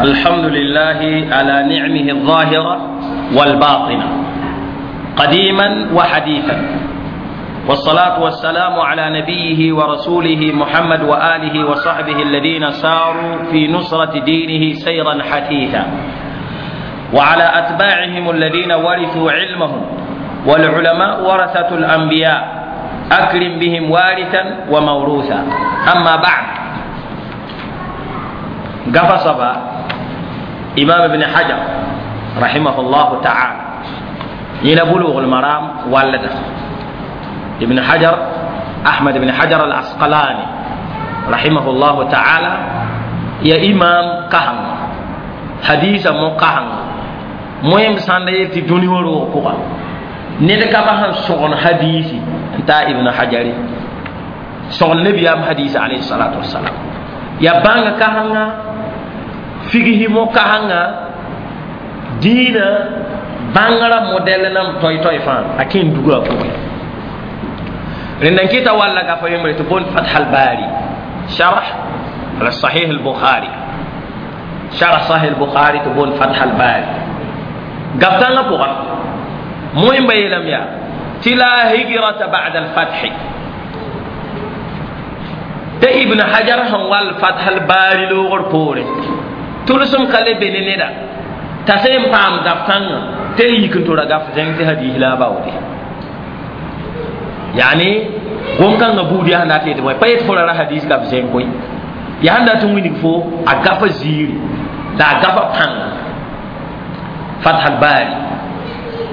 الحمد لله على نعمه الظاهرة والباطنة قديما وحديثا، والصلاة والسلام على نبيه ورسوله محمد وآله وصحبه الذين ساروا في نصرة دينه سيرا حثيثا، وعلى أتباعهم الذين ورثوا علمهم، والعلماء ورثة الأنبياء، أكرم بهم وارثا وموروثا. أما بعد، قفص إمام ابن حجر رحمه الله تعالى إلى بلوغ المرام، والده ابن حجر أحمد بن حجر العسقلاني رحمه الله تعالى، يا إمام كهن حديث مو كهن مهم ساندي في دنيا ورو ned ka ba sẽn sõgen hadiisi n taa Ibn Hajari sõgen nabiyaam hadiisi alayhi salatu wasalam, ya bãnga kasẽnga, figsi mo kasẽnga, dĩinã bãngrã modɛl nam toy-toy fãa a kẽ n duga a pʋgẽ. Rẽnda n kɩta walla gafa yembre tɩ boond Fath al-Bari, sharh ala Sahih al-Bukhari, sharh Sahih al-Bukhari tɩ boond Fath al-Bari. Gaf tãngã pʋga moẽmba yeelame yaa tɩ la hijrata ba'da al-fath, tɩ Ibn Hajar sẽn wall Fath al-Bari loogr poore, tʋlsem ka le be ne neda t'a sẽn paam gaf kãngã tɩ yik n tora gaf zẽng tɩ hadiis la a baoode. Yani gom-kãngã buud yaa sẽn dat yetɩ bõe, pa yet fo ra ra hadiis gaf zẽng koe, yaa sẽn dat n wilg fo a gafa ziiri la a gafa pãnga. Fath al-Bari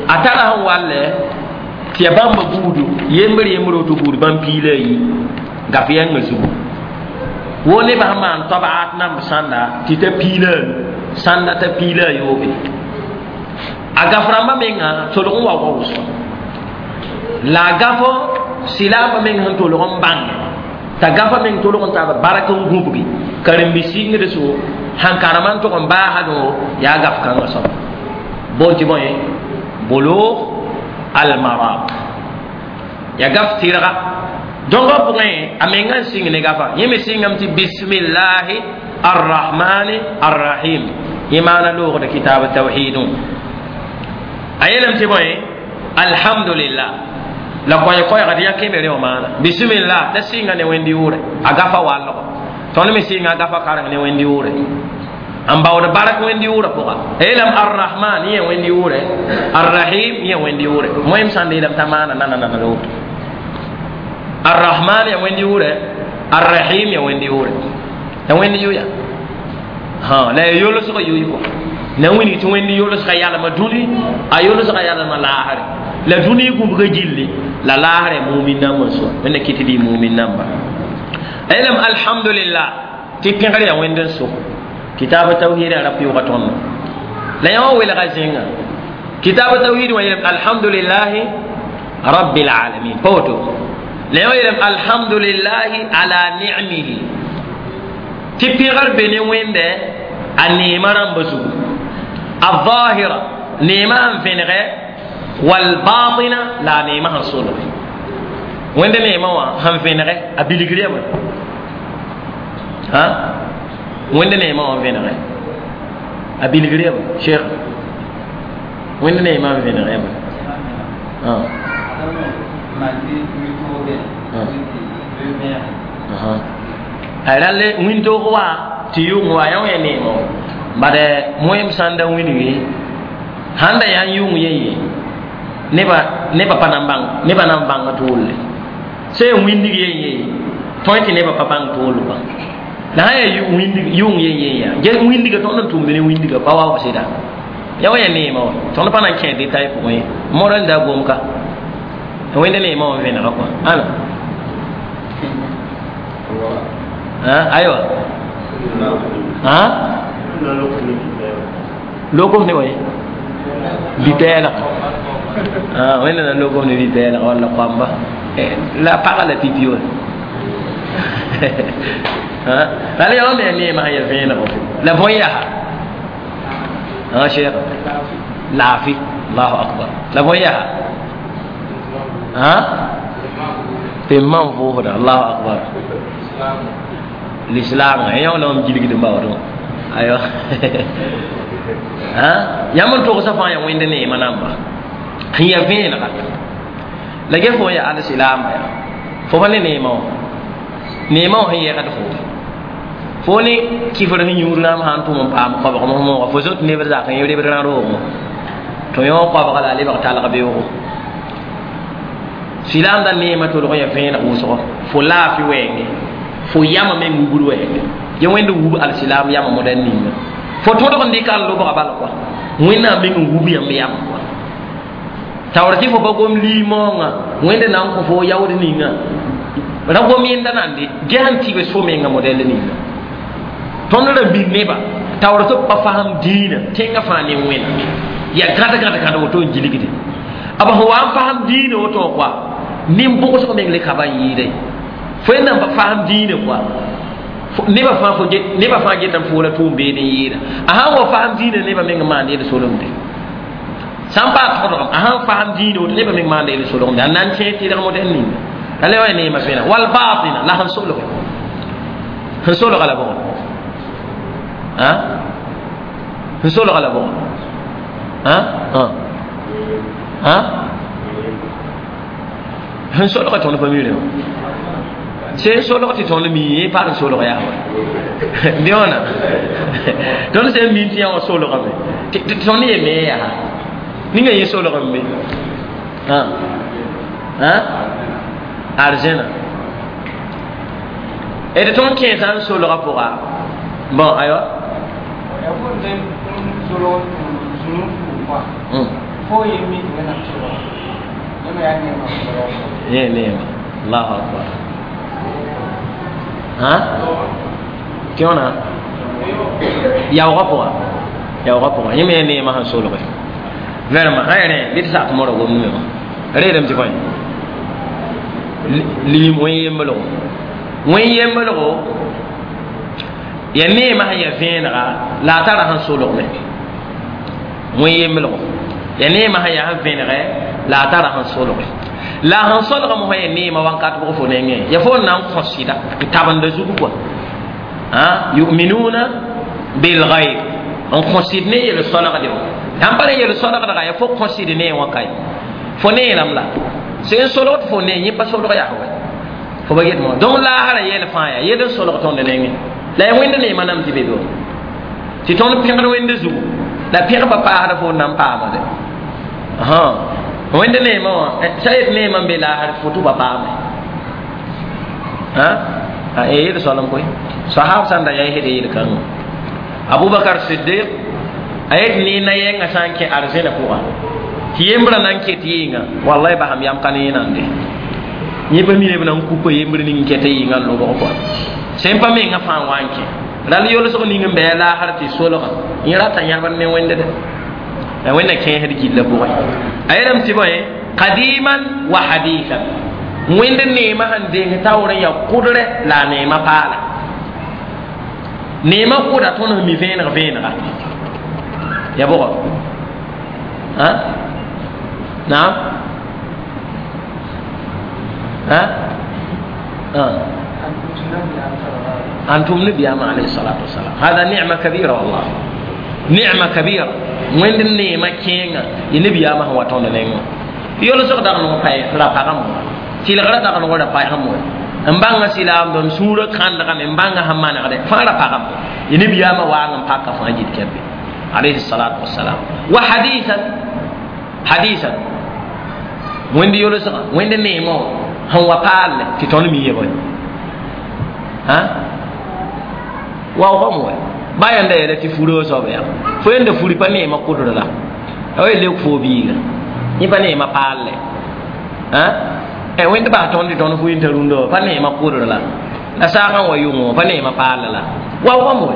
a tara sẽn walle tɩ ya bãmba buudu yembr yembr woto buud bãmb piila a yi gaf yɛngã zugu wo nebã sẽn maan tabaat namb sãnda tɩ ta piila a nu sãnda t'a piila a yoobe. A gaf rãmbã menga tolg n wa wa wʋsgo la a gafo silaambã meng sẽn tolg n bãnge t'a gafa meng tolg n taaba bark n gũbgi karen-bi sɩngd so sãn karema n tʋg n baasdõ yaa gaf kãngã soaba boon tɩ bõe Bulugh al-Maram, ya gaf tɩrga. Donc b pʋgẽ a menga n sɩng ne gafa yẽ me sɩngame tɩ bismillahi arrahmani arrahim, yẽ maana loogda kitab tawhidẽ. A yeelame tɩ bõe alhamdulillah la koɛɛ-koɛɛgd ya kemere wã maana bismillah t'a sɩnga ne wẽnd yʋʋrɛ a gafa wallgo. Tõnd me sɩnga a gafa kareng ne wẽnd yʋʋrɛ n baood bark wẽnd yʋʋrã pʋga. A yeelame arrahman yẽ wẽnd yʋʋrɛ, arrahim yẽ wẽnd yʋʋrɛ. Moẽm sãn da yeelame t'a maana nana nana la woto arrahman ya wẽnd yʋʋrɛ, arrahim ya wẽnd yʋʋrɛ, ya wẽnd yʋ ya ha la ya yolsg yʋy kɔ na wilg tɩ wẽnd yolsga yalma dũni, a yolsga yalma laasre la dũni gũbga gilli la laasrɛ mumin nambã soa wẽnna kɩt tɩ mumin namba. A yeelame alhamdulillah tɩ pẽgr ya wẽnd n so kitab tawhid ra pɩʋga tõndo la yã wã welga zẽnga kitab tawhid wã yeelame alhamdulillahi rabbil alamin, pa woto? La yã wã yeelame alhamdulillahi ala ni'mihi, tɩ pẽgr be ne wẽndɛ a neemã rãmba zugu, الظاهرة neemã sẽn vẽnegɛ, والباطنة la a neemã sẽn solge. Wẽnd neemã wã sẽn vẽnegɛ a bilgr yaa bõe? Ha wẽnd neemã wã vẽnegɛ a bilgr yaa bõe, cheikh? Wẽnd neemã n vẽnegɛ yaa bõe? Malgré wĩntoogẽ tɩ a rall wĩntoog wa tɩ yʋng wa yã wã ya neemã wã bad moẽm sãn da wilgi sãn da yaa n yʋng yen ye nebã nebã pa nan bãng nebã nan bãng toolle sã yaa wĩndig yen ye tõe tɩ nebã pa bãng tool kɔa la sã yaa wĩndig yʋng yen yen yaa ge wĩndiga tõnd n tʋmd ne wĩndiga pa wa sɩda ya wa ya neemã wã. Tõnd pa nan kẽ détail pʋgẽ ye model da gomka wẽnd neemã wã vẽnega kɔa ãna. Aywa, ha lokom ne way bitɛɛlg wẽnda na lokom ne bitɛɛlg walla koamba la paga la pipi wa la yã me neemã sẽn ya vẽenego la bõe yaa cheikh laafi. Allahu akbar, la bõe yaa tɩ m mam vʋʋsda. Allahu akbar, l'islam yã wã la mam gilgd n baoodẽ. Ayo ha yãmb n togsã fãa yaa wẽnd neemã namba sẽn yaa vẽenega la ge fo n yaa alsilaamba yaa fo pa ne neemã wã neemã wã sẽn yɛgd fo fo ne kifr sẽn yũud rãmb sã n tʋm n paam koabg mosmooga fo zot neb zak n rebd rã roogẽ tɩ yõ koabga la a lebg talg beoogo silaamda neemã tolg n yaa vẽeneg wʋsgo fo laafɩ wɛɛngẽ fo yamã meng wubd wɛɛngẽ ye wẽnd wub alsilaam yamã modɛl ninga fo tõdg n dɩka n lobga bal kɔa wẽnnaam meng n wub yãmb yam kɔa taoor tɩ fo pa gom liimoongã wẽnd na n kõ fo yaood ninga ra gom yẽnda nande ges n tɩ be so menga modɛl ninga tõnd ra mil neba taoor tɩ b pa fasem dĩinã tẽngã fãa ne wẽna yaa gãd gãd gãd woto n gilgde b sẽn wa n fasem dĩinã woto kɔa nin-bʋgsg meng le ka ba n yɩɩda fo yẽ nan pa fasem dĩinã kɔa neba fãa fo neba fãa getame fo la tʋʋm beed n yɩɩda a sãn wa fasem dĩinã neba meng n maand yel solemde sã n paas tõdgem a sãn fasem dĩinã woto neba meng maanda yel solemde a na n kẽ tɩlg modɛl ninga la le wa ya neemã vẽna wal batina la sẽn solge sẽn solga la bʋgẽ sẽn solga la bʋgẽ sẽn solga tõnd pa miirẽ sẽn solg tɩ tõnd mi pa n solg yaa wa dẽ wãna tõnd sẽn min tɩ yã wã solgame tɩ tõnd ye me yaa ninga yẽ solgame be arzẽna d tõnd kẽesã n solgã pʋga bon aywa yẽ neema allahu akbar ha tɩ wãna yaoogã pʋga yaoogã pʋga yẽ me yaa neemã sẽn solge vraiment ã rẽ bɩ tɩ sak modg gomdme wã reedame tɩ bõe lim wẽn-yemblgo wẽn-yemblgo ya neemã sẽn yaa vẽenega la a tara sẽn solgme wẽn-yemblgo ya neemã sẽn yaa sẽn vẽnegɛ la a tara sẽn solge la sẽn solgame sã ya neemã wãnkat bʋg fo nengẽ ya fo n na n kõ sɩda n tabenda zug kɔa yuminuna bilghaib n kõ sɩd ne yel solgde wã sãn pa ne yel solgdga ya fo kõ sɩd ne wã kae fo neeram la sẽn solgd fo ne yẽ pa solg yaa wɛ fo ba get mo donc laasra yɛl fãa yaa yel n solg tõnd nengẽ la ya wẽnd neemã nam tɩ be be tɩ tõnd pẽgd wẽnd zugu la pẽg pa paasda fo n na n paamade wẽnd neemã wã sã yet neemã n be laasr fo tɩ ba paame yel soalem koe sahab sãn da yaa sed yel-kãngã abubakar siddiq a yet neena yɛngã sã n kẽ arzẽna pʋga tɩ yembrã na n ket yɩɩngã wallahi basam yam ka ne yẽnande yẽ pa mina b na n kupa yembr ning n kɛta yɩɩngã n lobg kɔa sẽn pa mengã fãa wa n kẽ ral yolsg ning n bɩ a laasr tɩ solga yẽ rata yãbr ne wẽnde dɛ la wẽnna kẽesd gillã pʋgẽ a yeelame tɩ bõe qadiman wa hadithan wẽnd neemã sẽn deng taoor n yaa kʋdrɛ la a neemã paala neemã kʋda tõnd sẽn mi vẽeneg vẽenega ya bʋgɔ naam أنتم نبي عليه الصلاة والسلام هذا نعمة كبيرة والله نعمة كبيرة وين النعمة كينا ينبي ما هو تون نعمة يقول سوق دعنا نقول لا بعام تيلغرا دعنا نقول لا بعام mbanga silam don sura kan daga mbanga hamana gade fara pagam ينبي ما وان باكا فاجد كبي عليه الصلاة والسلام وحديثا حديثا وين يولس وين نيمو هو قال تتون مي يبون ها واو هم bayan da yɛlɛ tɩ furo soab yaa fo yẽnda furi pa neemã kʋdr la a wa lek fo biiga yẽ pa neemã paalle wẽnd bas tõnd tɩ tõnd fu yẽn t'a rũndã wã pa neemã kʋdr la la saagã wa yʋngẽ wã pa neemã paall la waoogame we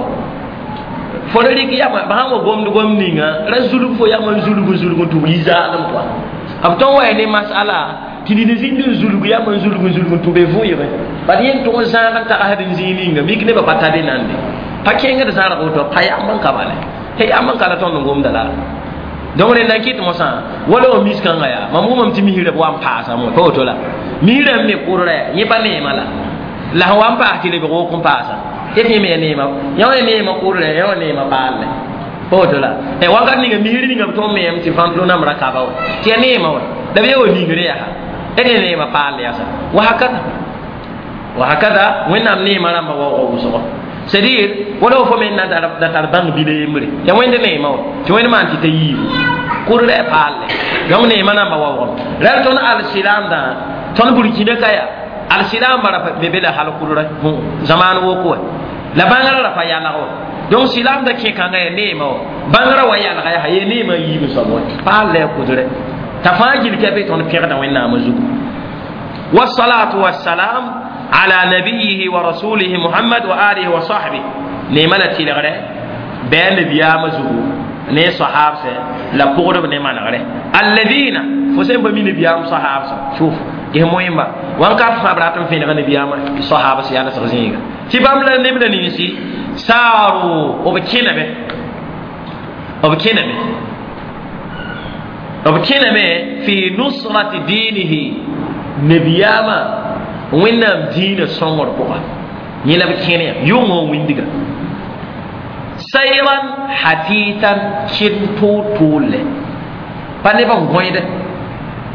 fo ra rɩk yama b sãn wa gomd gom ninga ra zulg fo yama n zulg n zulg n tʋb yi-zaalem pʋa b tõn wa ya ne masala tɩ nid zĩnd n zulg yama n zulg n zulg n tʋ be vʋɩgẽ bad yẽn tʋg n zãag n tagsd n zĩig ninga mik nebã pa ta be nande pa kẽngd zãrg woto pa yamb n ka bale tɩ yamb n ka la tõnd n gomda la donc rẽnd n kɩt mosã wala wa mis-kãngã yaa mam wʋmame tɩ misrã b wa n paasame pa woto la misrã n me kʋdrã yẽ pa neemã la la sẽn wa n paas tɩ lebg wok n paasa yẽ me ya neema yã wa neema kʋrlɛ yã wa neema paalle pa woto la wakat ninga misr ninga b tõnd meem tɩ vãntlo namb ra kaba wa tɩ ya neema wa la b ya wa ningre yaa d neema paal yasa wa hakada wa hakada wẽnnaam neema rãmba waoogã wʋsgo c'est dire wala fo men na da tar bãng bila yembre ya wẽnd neema wa tɩ wẽnd maan tɩ ta yiibu kʋrlɛ paalle donc neema rãmba waoogame ra tõnd al-silaamdã tõnd burkina ka yaa al-silaamba ra be be la hal kʋrrɛ zamaan woko wa la bãngrã ra pa yalg wa donc silaamdã kẽ-kãngã ya neema wa bãngrã wa yalga yaa ye neema yiib soab wa paal la ya kʋdrɛ t'a fãa gil ka be tõnd pẽgda wẽnnaamã zugu والصلاة والسلام على نبيه ورسوله محمد وآله وصحبه نيما لا تيلغره بين نبيام زغو ne sahab se la pʋgdb ne manegre alladina fo sẽn pa mi nabiyaam sahab sã shuf ges moẽmba wãnkat fãa b rat n fẽnega nabiyaam sahab sã yalsg zĩiga tɩ bãmb la neb la ninsi saaru b kẽname b kẽname b kẽname fi nusrati dinihi nabiyaama wẽnnaam dĩinã sõngr pʋga yẽ la b kẽne ya yʋngã wĩndiga sayran hatitan kẽn toor-toorlɛ pa neb n gõede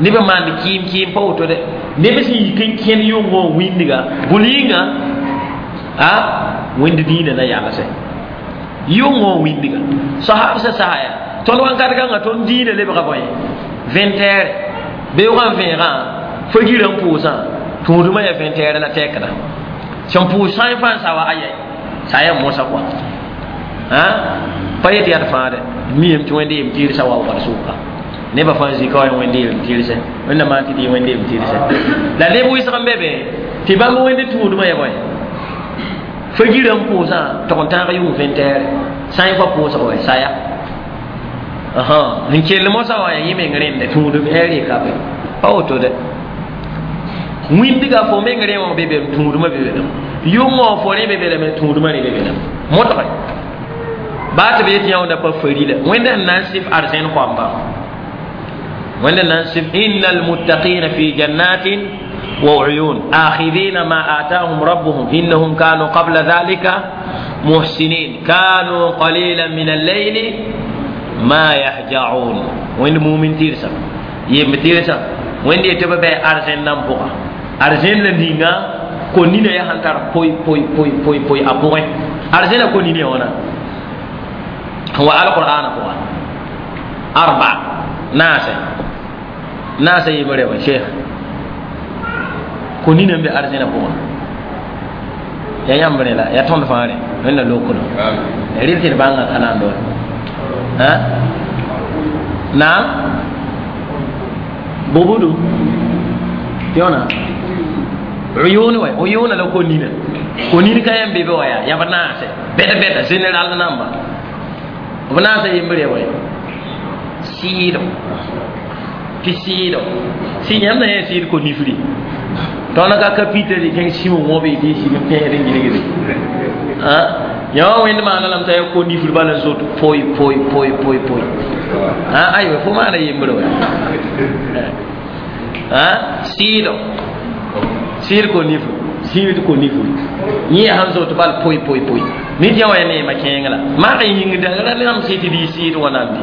neb n maand kɩɩm kɩɩm pa woto dɛ neb sẽn yik n kẽn yʋngã wĩndiga bʋ-yĩnga a wẽnd dĩinã na yalsɛ yʋngã wĩndiga sahab sã sasa yaa tõnd wãnkat kãngã tõnd dĩinã lebga bõe vẽntɛɛre beoogã n vẽegã fo girã n pʋʋsã tũudmã yaa vẽntɛɛrɛ la tɛkda sẽn pʋʋs sã n fãa n sa wa aya sa yaa mosa kɔa pa yet yaa d fãa dɛ miame tɩ wẽnd yem tɩɩrsa waoogd sʋka nebã fãa zika wa wẽnd yem tɩɩrsɛ wẽnna maan tɩ tɩ wẽnd yem tɩɩrsɛ la neb wɩsg n be be tɩ bãmb wẽnd tũudmã yaa bõe fo girã n pʋʋsã tog n tãag yʋng vẽntɛɛre sã n fa pʋʋsg wa saya n kell mosã wã yaa yẽ meng rẽnda tũudum ɛɛr ka be pa woto dɛ wĩndiga fo meng rẽ wã be be tũudmã be be yʋngã fo rẽ be be lame tũudmã rẽ be be lame modge baa tɩ b yet yãwda pa farila wẽnda sẽn na n sɩf arzẽn koamba wẽnda na n sɩf inna almuttaqina fi jannatin wa uyun akhidina ma atahum rabbuhum innahum kanu qabla dhalika muhsinin kanu qalilan min al-layli ma yahja'un wẽnd mumin tɩrsa yemb tɩrsa wẽnd yetɩ b bɩ arzẽn nan pʋga arzẽn la ninga ko nina yaa sẽn tar poy poy poy poy poy a pʋgẽ arzẽna ko nina wãna wa alqur'ana pʋga arba naase naase yembre wa cheikh ko nina n be arzẽna pʋga ya yãmb rẽ la ya tõnd fãa rẽ wẽnna lokno rɩl tɩ d bãngã ka na n doe naam bubudu tɩ wãna uyun wa uyuna la ko nina ko nina ka yãmb be be wa yaa b naase bɛd bɛda général namba b naasa yembre wa sɩɩdo tɩ sɩɩdo sɩ yãmb na yã sɩɩd ko nifri tõnd ka kapitr kẽng sĩm wõbe tɩ sig n pẽesd n gilgde yã wã wẽnd maana lame t'a ya ko nifr bala n zot poy poy poy poy poy aywa fo maana yembre wa sɩɩdo sɩɩd ko nifr sĩid ko nifr yẽ yaa sẽn zot bal poy poy poy nit yã wa ya neema kẽeng la mak n yĩngda la rãmb sɩ tɩ dɩ sɩɩd wãnaam dɩ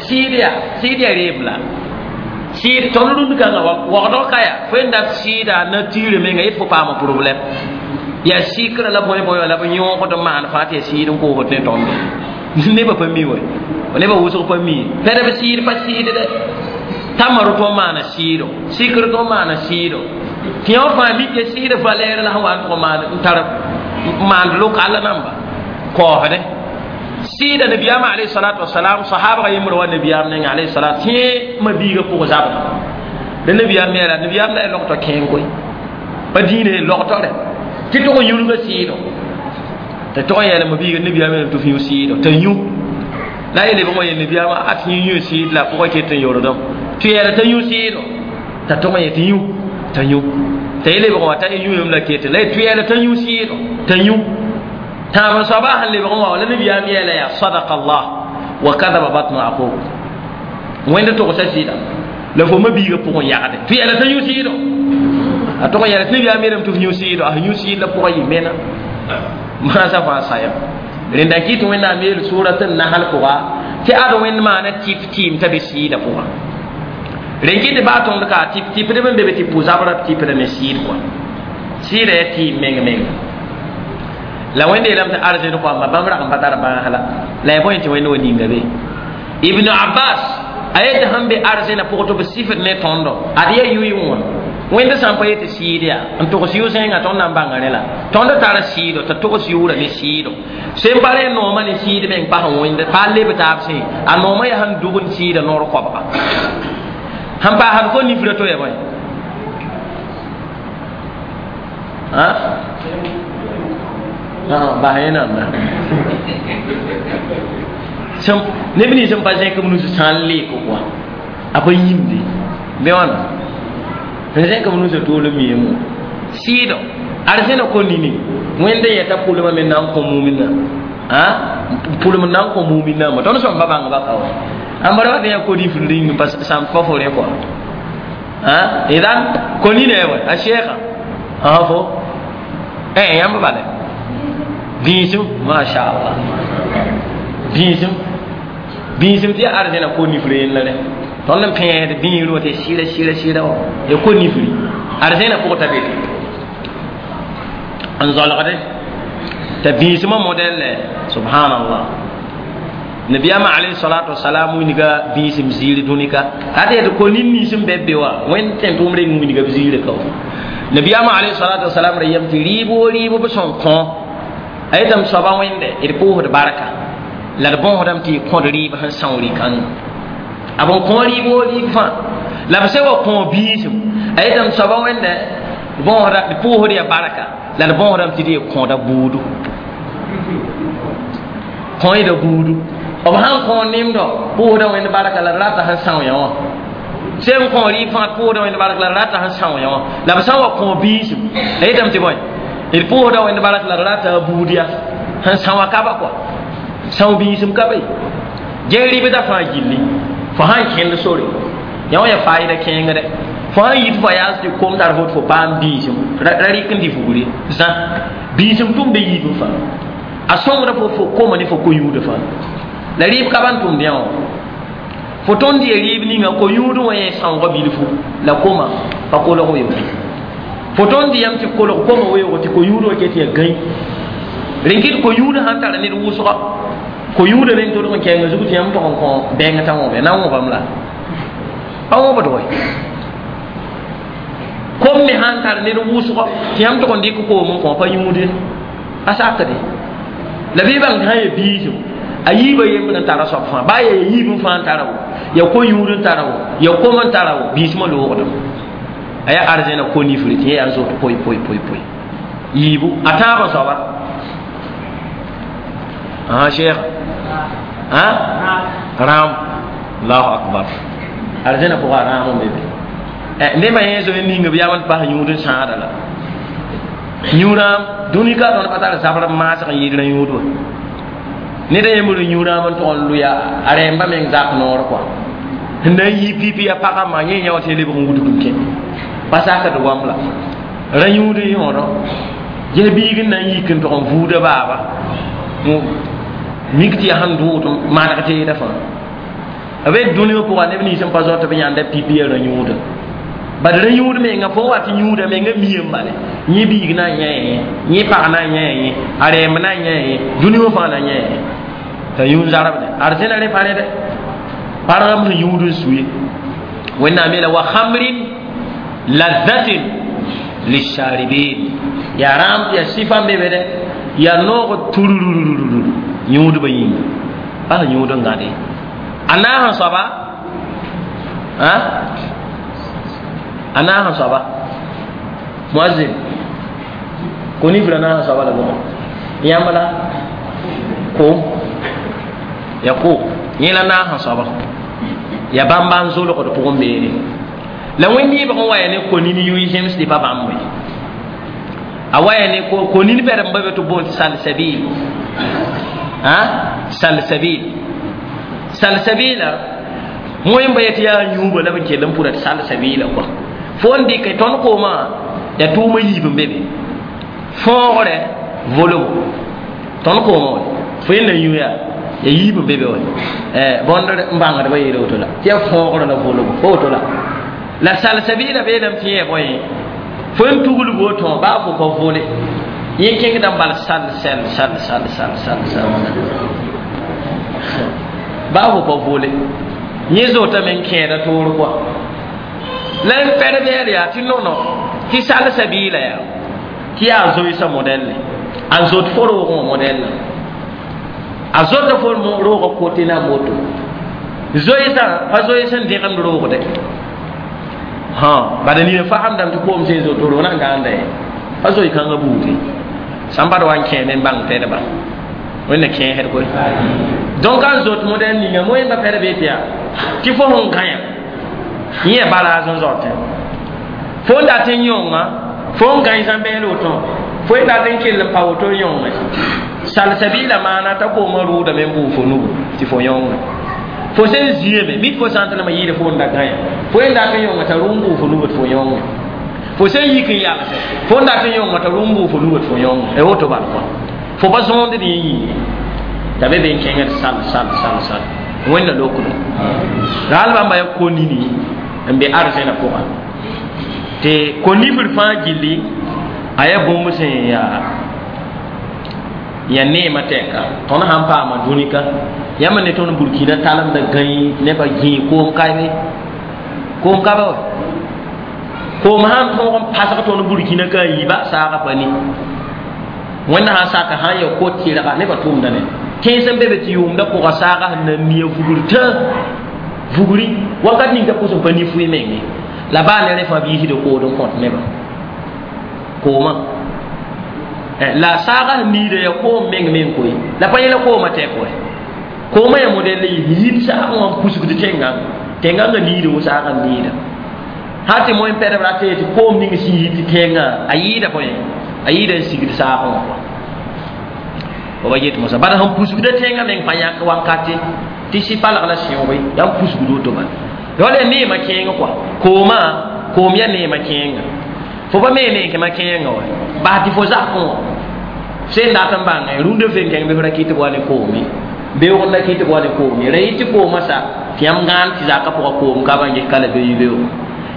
sɩɩd yaa sɩɩd yaa reeb la sɩɩd tõnd rũnd kãngã waoogdg ka yaa fo n dat sɩɩda nature menga yet fo paama problème yaa sɩkra la bõe bõe la b yõogd n maan fãa tɩ yaa sɩɩd n koosd ne tõnd nebã pa mi wa nebã wʋsg pa mi pɛdb sɩɩd pa sɩɩd dɛ tamar tõn maana sɩɩdo sɩkr tõn maana sɩɩdo tɩ yã fãa mik ya sɩɩd valɛɛr la sẽn wa n tʋg maan n tar maand lokal namba kaoosdẽ sɩɩda nabiyaamã alayhi salatu wasalam sahabga yembr wa nabiyaam nengã alayhi salat tẽ mabiigã pʋg zabda la nabiyaam me la nabiyaam la ya logtɔ kẽeng koe pa dĩinã logtɔ rɛ tɩ tʋg n yũnga sɩɩdo t'a tʋg n yɛɛla mabiiga nabiyaam yeelame tɩ f yũ sɩɩdo t'a yũ la a yel-lebg wã yel nabiyaamã a tɩ yũ sɩɩd la a pʋgã ket n yordame tɩ yɛɛla t'a yũ sɩɩdo t'a tʋg n yet yũ t'a yũ t'a yel-lebg wã t'a yũ la ket la tɩ yɛɛla t'a yũ sɩɩdo t'a yũ tãab n soaba sẽn lebg wã la nabiyaam yɛɛla yaa sadaka allah wa kadaba batnu aqub wẽnd togsa sɩɩda la fo mabiigã pʋgẽ yagde tɩ yɛɛla t'a yũ sɩɩdo A tog n yɛla tɩ nabiyaam yeelame tɩ f yũ sɩɩdo a yũ sɩɩd la pʋgã yɩ mena maasã fãa sayam rẽnda n kɩt tɩ wẽnnaam yeel sʋʋra tɩ nasl pʋga tɩ ad wẽnd maana tɩp tɩɩm t'a be sɩɩdã pʋgã rẽn kɩt tɩ baa tõnd ka tɩp tɩpdb n be be tɩ pʋ-zabra tɩpda ne sɩɩd kɔa sɩɩda yaa tɩɩm meng menga la wẽnd yeelame tɩ arzẽn koamba bãmb rag n pa tar bãas la la ya bõe tɩ wẽnd wa ninga be ibnu abbas a yetɩ sẽn be arzẽna pʋgẽ tɩ b sifd ne tõndo ad yaa yʋɩ wã wẽnd sã n pa yetɩ sɩɩd yaa n togs yʋ-zẽnga tõnd na n bãnga rẽ la tõnd tara sɩɩdo t'a togs yʋʋra ne sɩɩdo sẽn pa rẽ noomã ne sɩɩd meng pas wẽnd pa leb taab sẽ a noomã yaa sẽn dug n sɩɩda noor koabga sẽn paasd ko nifra to ya bõe bas yẽnam neb nins n pa zẽk b nus sã n leek kɔa a pa yĩmde bɩ wãna n zẽk b nusã tool n miame wã sɩɩdo arzẽna ko nini wẽnd n yɛta pʋlmã me na n kõ mumina pʋlem na n kõ muminãmbã tõnd sõm pa bãngba ka wa ãmb ra wat yaa ko-nifr ring pa sãm pa fo rẽ kɔa idan ko nina ya bõe a sheekha fo yãmb bale bĩisem mashallah bĩisem bĩisem tɩ yaa arzẽna ko-nifr yella rẽ tõnd n pẽed bĩir wã tɩ sɩɩra sɩɩra sɩɩra wã ya ko-nifri arzẽna pʋgã t'a be n zɔlgde t'a bĩismã modɛl subhanallah nabiyama alayhi salatu wasalam winiga bĩisem ziir dũnika t'a tɩ ko nin nins n be b be wã wẽnd tẽn tʋʋm reng winiga b ziirã ka wã nabiyama alayhi salatu wasalam ra yem tɩ rɩɩb wo rɩɩb b sẽn kõ a yetame soaba wẽnde d pʋʋsd barka la d bõosdame tɩ y kõd rɩɩb sẽn são rɩ-kãngã a b n kõ rɩɩb wo rɩɩb fãa la b sẽn wa kõ biisem a yetame soaba wẽnde d pʋʋsd ya barka la d bõosdame tɩ d ye kõda buudu kõida buudu b sãn kõ nemdɔ pʋʋsda wẽnd barka la d rata sẽn são yã wã sẽn kõ rɩɩb fãa pʋʋsda wẽnd barka la d rata sẽn são yã wã la b sã n wa kõ biisem a yetame tɩ bõe d pʋʋsda wẽnd bark la d rata a buud yaa sẽn são a kaba kɔa são biisem ka be ges rɩbda fãa gilli fo sãn kẽnd sore yã wã yaa faayda kẽengdɛ fo sãn yit fo yaas tɩ kom tar fo tɩ fo paam biisem ra rɩk n dɩ fugre zã biisem tʋmda yiibẽ fãa a sõngda fo fo koma ne fo ko-yũudã fãa la rɩɩb ka ban tʋmd yã wã fo tõnd ya rɩɩb ninga ko-yũudẽ wã yẽ sãoogã bilfu la koma pa kolg weoog fo tõnd yam tɩ kolg koma weoog tɩ ko-yũudã wã ket yaa gãy rẽn kɩt ko-yũudã sãn tara ned wʋsga ko-yũudã rẽnd tolg n kɛɛngã zug tɩ yãmb tog n kõ bɛng t'a wõbe na n wõbam la pa wõbd wɛ kom me sãn tar ned wʋsgɔ tɩ yãmb tog n dɩk koom n kõ pa yũude a sakde la bɩ bãng tɩ sã ya biisem a yiibã yembd n tara soab fãa baa yaa yiib n fãa n tara wo ya ko-yũud n tara wo ya kom n tara wo biismã loogdem a yaa arzẽna ko-nifre tɩ yẽ yaa n zot poy poy poy poy yiibu a tãabã soaba cheikh rãam allahu akbar arzẽna pʋga a rãam n be be nebã yẽ zoe ninga b yam n pas yũud n sãada la yũ-rãam dũni ka tõnd pa tar zabr n maasg n yɩɩd rã-yũud wã ned a yembr yũ-rãam n tog n lʋya a rɛɛmba meng zak noor kɔa n na n yi pipi a pagã yẽ yã wã tɩ lebg n wudg n kẽ pa sakd goam la rã-yũud n yõodɔ ges biig n na n yik n tog n vuuda baaba mik tɩ yaa sẽn dʋʋd maneg teeda fãa b be dũni wã pʋga neb nins n pa zao tɩ b yãnda pipi ya rã-yũudã bad rã-yũud menga fo wat yũuda menga miyame bale yẽ biig na n yã yẽ pag na n yã yẽ a rɛɛmb na n yã yẽ dũni wã fãa na n yã yẽ t'a yũud zarabde arzẽna rẽ pa rẽde pargam sẽn yũud n sue wẽnnaam yeela wa khamrin lazzatin lisharibin yaa rãam tɩ yaa sɩfa n be be dɛ yaa noog turururururu yũudbã yĩnga pa sẽn yũud n gãde a naas n soaba a naas n soaba muazzin ko-nifra naas n soaba la bʋgẽ yãmb la koom ya ko yẽ la naas n soaba ya bãmba n zolgd pʋgẽ beene la wẽnd yɩbg n wa ya ne ko-nin yʋɩ zems tɩ pa bãmb ye a wa ya ne ko-nin bɛd n ba be tɩ boond tɩ salsabil salsabil salsabila wẽn ba yetɩ yaa yũuba la b n kell n pʋra tɩ salsabila kɔa fo n dɩk tõnd koomã Yaa tʋʋmã yiib n be be fõogre volgo tõnd koomã wa fo yẽnda yũ yaa ya yiib n be be wa bõnd n bãngdbã yeela woto la tɩ yaa fõogrã la volgo pa woto la la salsabiila beelame tɩ yẽ bõe fo n tuglg woto baa fo pa vole yẽ kẽngda n bal sal sal sal sal sal sal sal baa fo pa vole yẽ zotame n kẽeda toor kɔa la n pɛd yaa tɩ nono tɩ salsabiila yaa tɩ yaa zoeesã modɛlle a zot fo roogẽ wã modɛlla a zota fo roogã kote na moto zoeesã pa zoees n dẽgemd roogde bada nina faamdame tɩ koom sẽn zoto roog na n gãanda ye pa zoe kãngã buude sãn bad wa n kẽeme n bãng tɛdba wẽnna kẽesd koe donc a zot modɛl ninga moẽmba pɛd bee tɩ yaa tɩ fo sẽn gãya yẽ baraaz n zaotẽ fo n dat n yõnga fo n gãe zãmbɛɛl woto fo n dat n kell n pa woto n yõnge salsabiila maana t'a koomã rʋʋdame n bʋʋ fo nugu tɩ fo yõnge fo sẽn zĩame mid fo sã n tɩ lame yɩɩda fo n da gãya fo n dat n yõnga t'a rʋ n bʋʋ fo nugu tɩ fo yõnge fo sẽn yik n yalse fo n dat n yõnga t'a rʋ n bʋʋ fo nugu tɩ fo yõnge y woto bal kɔa fo pa zõond yẽ yĩnge t'a be be n kẽngd sal sal sal sal wẽnna lokdo raal bãmba ya ko-nini n be arzẽna pʋga tɩ ko-nifr fãa gilli a yaa bũmb sẽn yaa ya neemã tɛka tõnd sãn paama dũni ka yãmb ne tõnd burkina talemda gãe nebã gĩi koom kaebe koom ka ba wa koom sãn tõog n pasg tõnd burkina ka a yiiba saagã pa ni wẽnna sãn saka sãn ya kot tɩrga nebã tʋʋmda ne tẽns n be be tɩ yʋʋmda pʋga saaga sẽn na n mia vugr tã vugri wakat ning t'a pʋs n pa ni fʋɩ menge la baa ne rẽ fãa b yiisda kood n kõt nebã koomã la saaga sẽn niida yaa koom meng meng koe la pa yẽla koomã tɛk wɛ koomã yaa modɛl yit saagẽ wã n pusgd tẽngãngã tẽngãngã niida wo saagã n niida sã tɩ moẽ pɛdb rat tɩ koom ning sẽn yit tẽngã a yɩɩda bõe a yɩɩda n sigd saagẽ wã kɔa ba yet mosa bala sẽn pusgda tẽngã meng pa yãk wankate tɩ sɩ-palg la sẽoog yaa n pusgd woto bala wala yaa neemã kẽeng kɔa koomã koom yaa neemã kẽenga fo pa me neekẽmã kẽenga wa bas tɩ fo zakẽ wã sẽn dat n bãnge rũndã fen kẽng bɩ f ra kɩt b wa ne koome beoog n da kɩt b wa ne koome ra yɩ tɩ koomã sa tɩ yãmb gãan tɩ zakã pʋgã koom ka ban ges ka la be yi beoog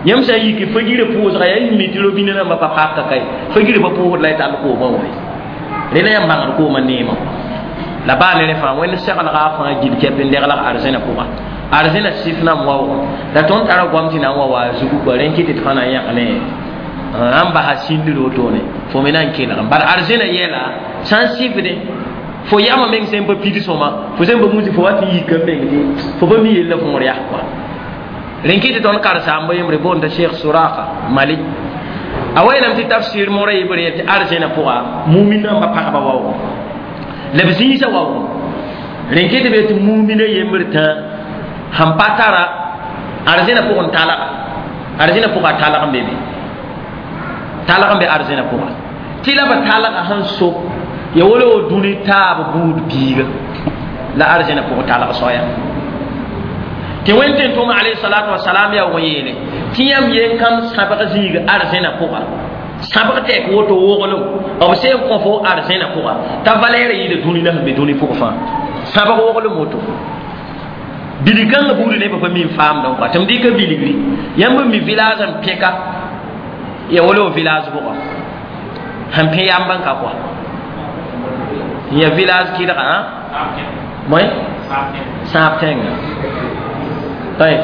yãmb sã n yik fa-girã pʋʋsga yaa mi tɩ robinã rãmbã pa paka kae fa-girã pa pʋʋsd la y tall koomã wa rẽna yãmb bãngd koomã neemã la baa ne rẽ fãa wẽnd seglga fãa gil kɛp n deglg arzẽna pʋga arzẽna sɩf nan waoog la tõnd tara goam tɩ na n wa wa a zugu kɔa rẽ kɩ tɩ d fãa na n yãk ne n basa sĩndir wotone fo me na n kelg bala arzẽna yɛla sã n sɩfdẽ fo yama meng sẽn pa pid sõma fo sẽn pa musi fo wa tɩ yika meng tɩ fo pa mi yella võor yaa kɔa rẽ kɩ tɩ tõnd karen-saamba yembre boonda Cheikh Suraka Mali a wayeelame tɩ tafsir mora yibre tɩ arzẽna pʋga mumin rãmba pagba waoog la b zĩisã waoog rẽ kɩ tɩ be tɩ mumina yembr tã sẽn pa tara arzẽna pʋgẽ talga arzẽna pʋga talg n be be talg n be arzẽna pʋga tɩ la b talga sẽn so ya wala wo dũni taab buud biiga la arzẽna pʋgẽ talg soaya tɩ wẽnd tẽn tʋm alayhi salatu wasalam yaa wõ yeele tɩ yãmb yen kam sãbg zĩig arzẽna pʋga sãbg tɛk woto woglem b sẽn kõ fo arzẽna pʋga t'a valɛɛrã yɩɩda dũni la sẽn be dũni pʋg fãa sãbg woglem woto bilg kãngã buudi nebã pa mi n faamdẽ kɔa tɩ m dɩka bilgri yãmb n mi village n pẽka ya wala wo village pʋga sẽn pẽ yãmb n ka kɔa ya village kɩdga moe sãab tẽnga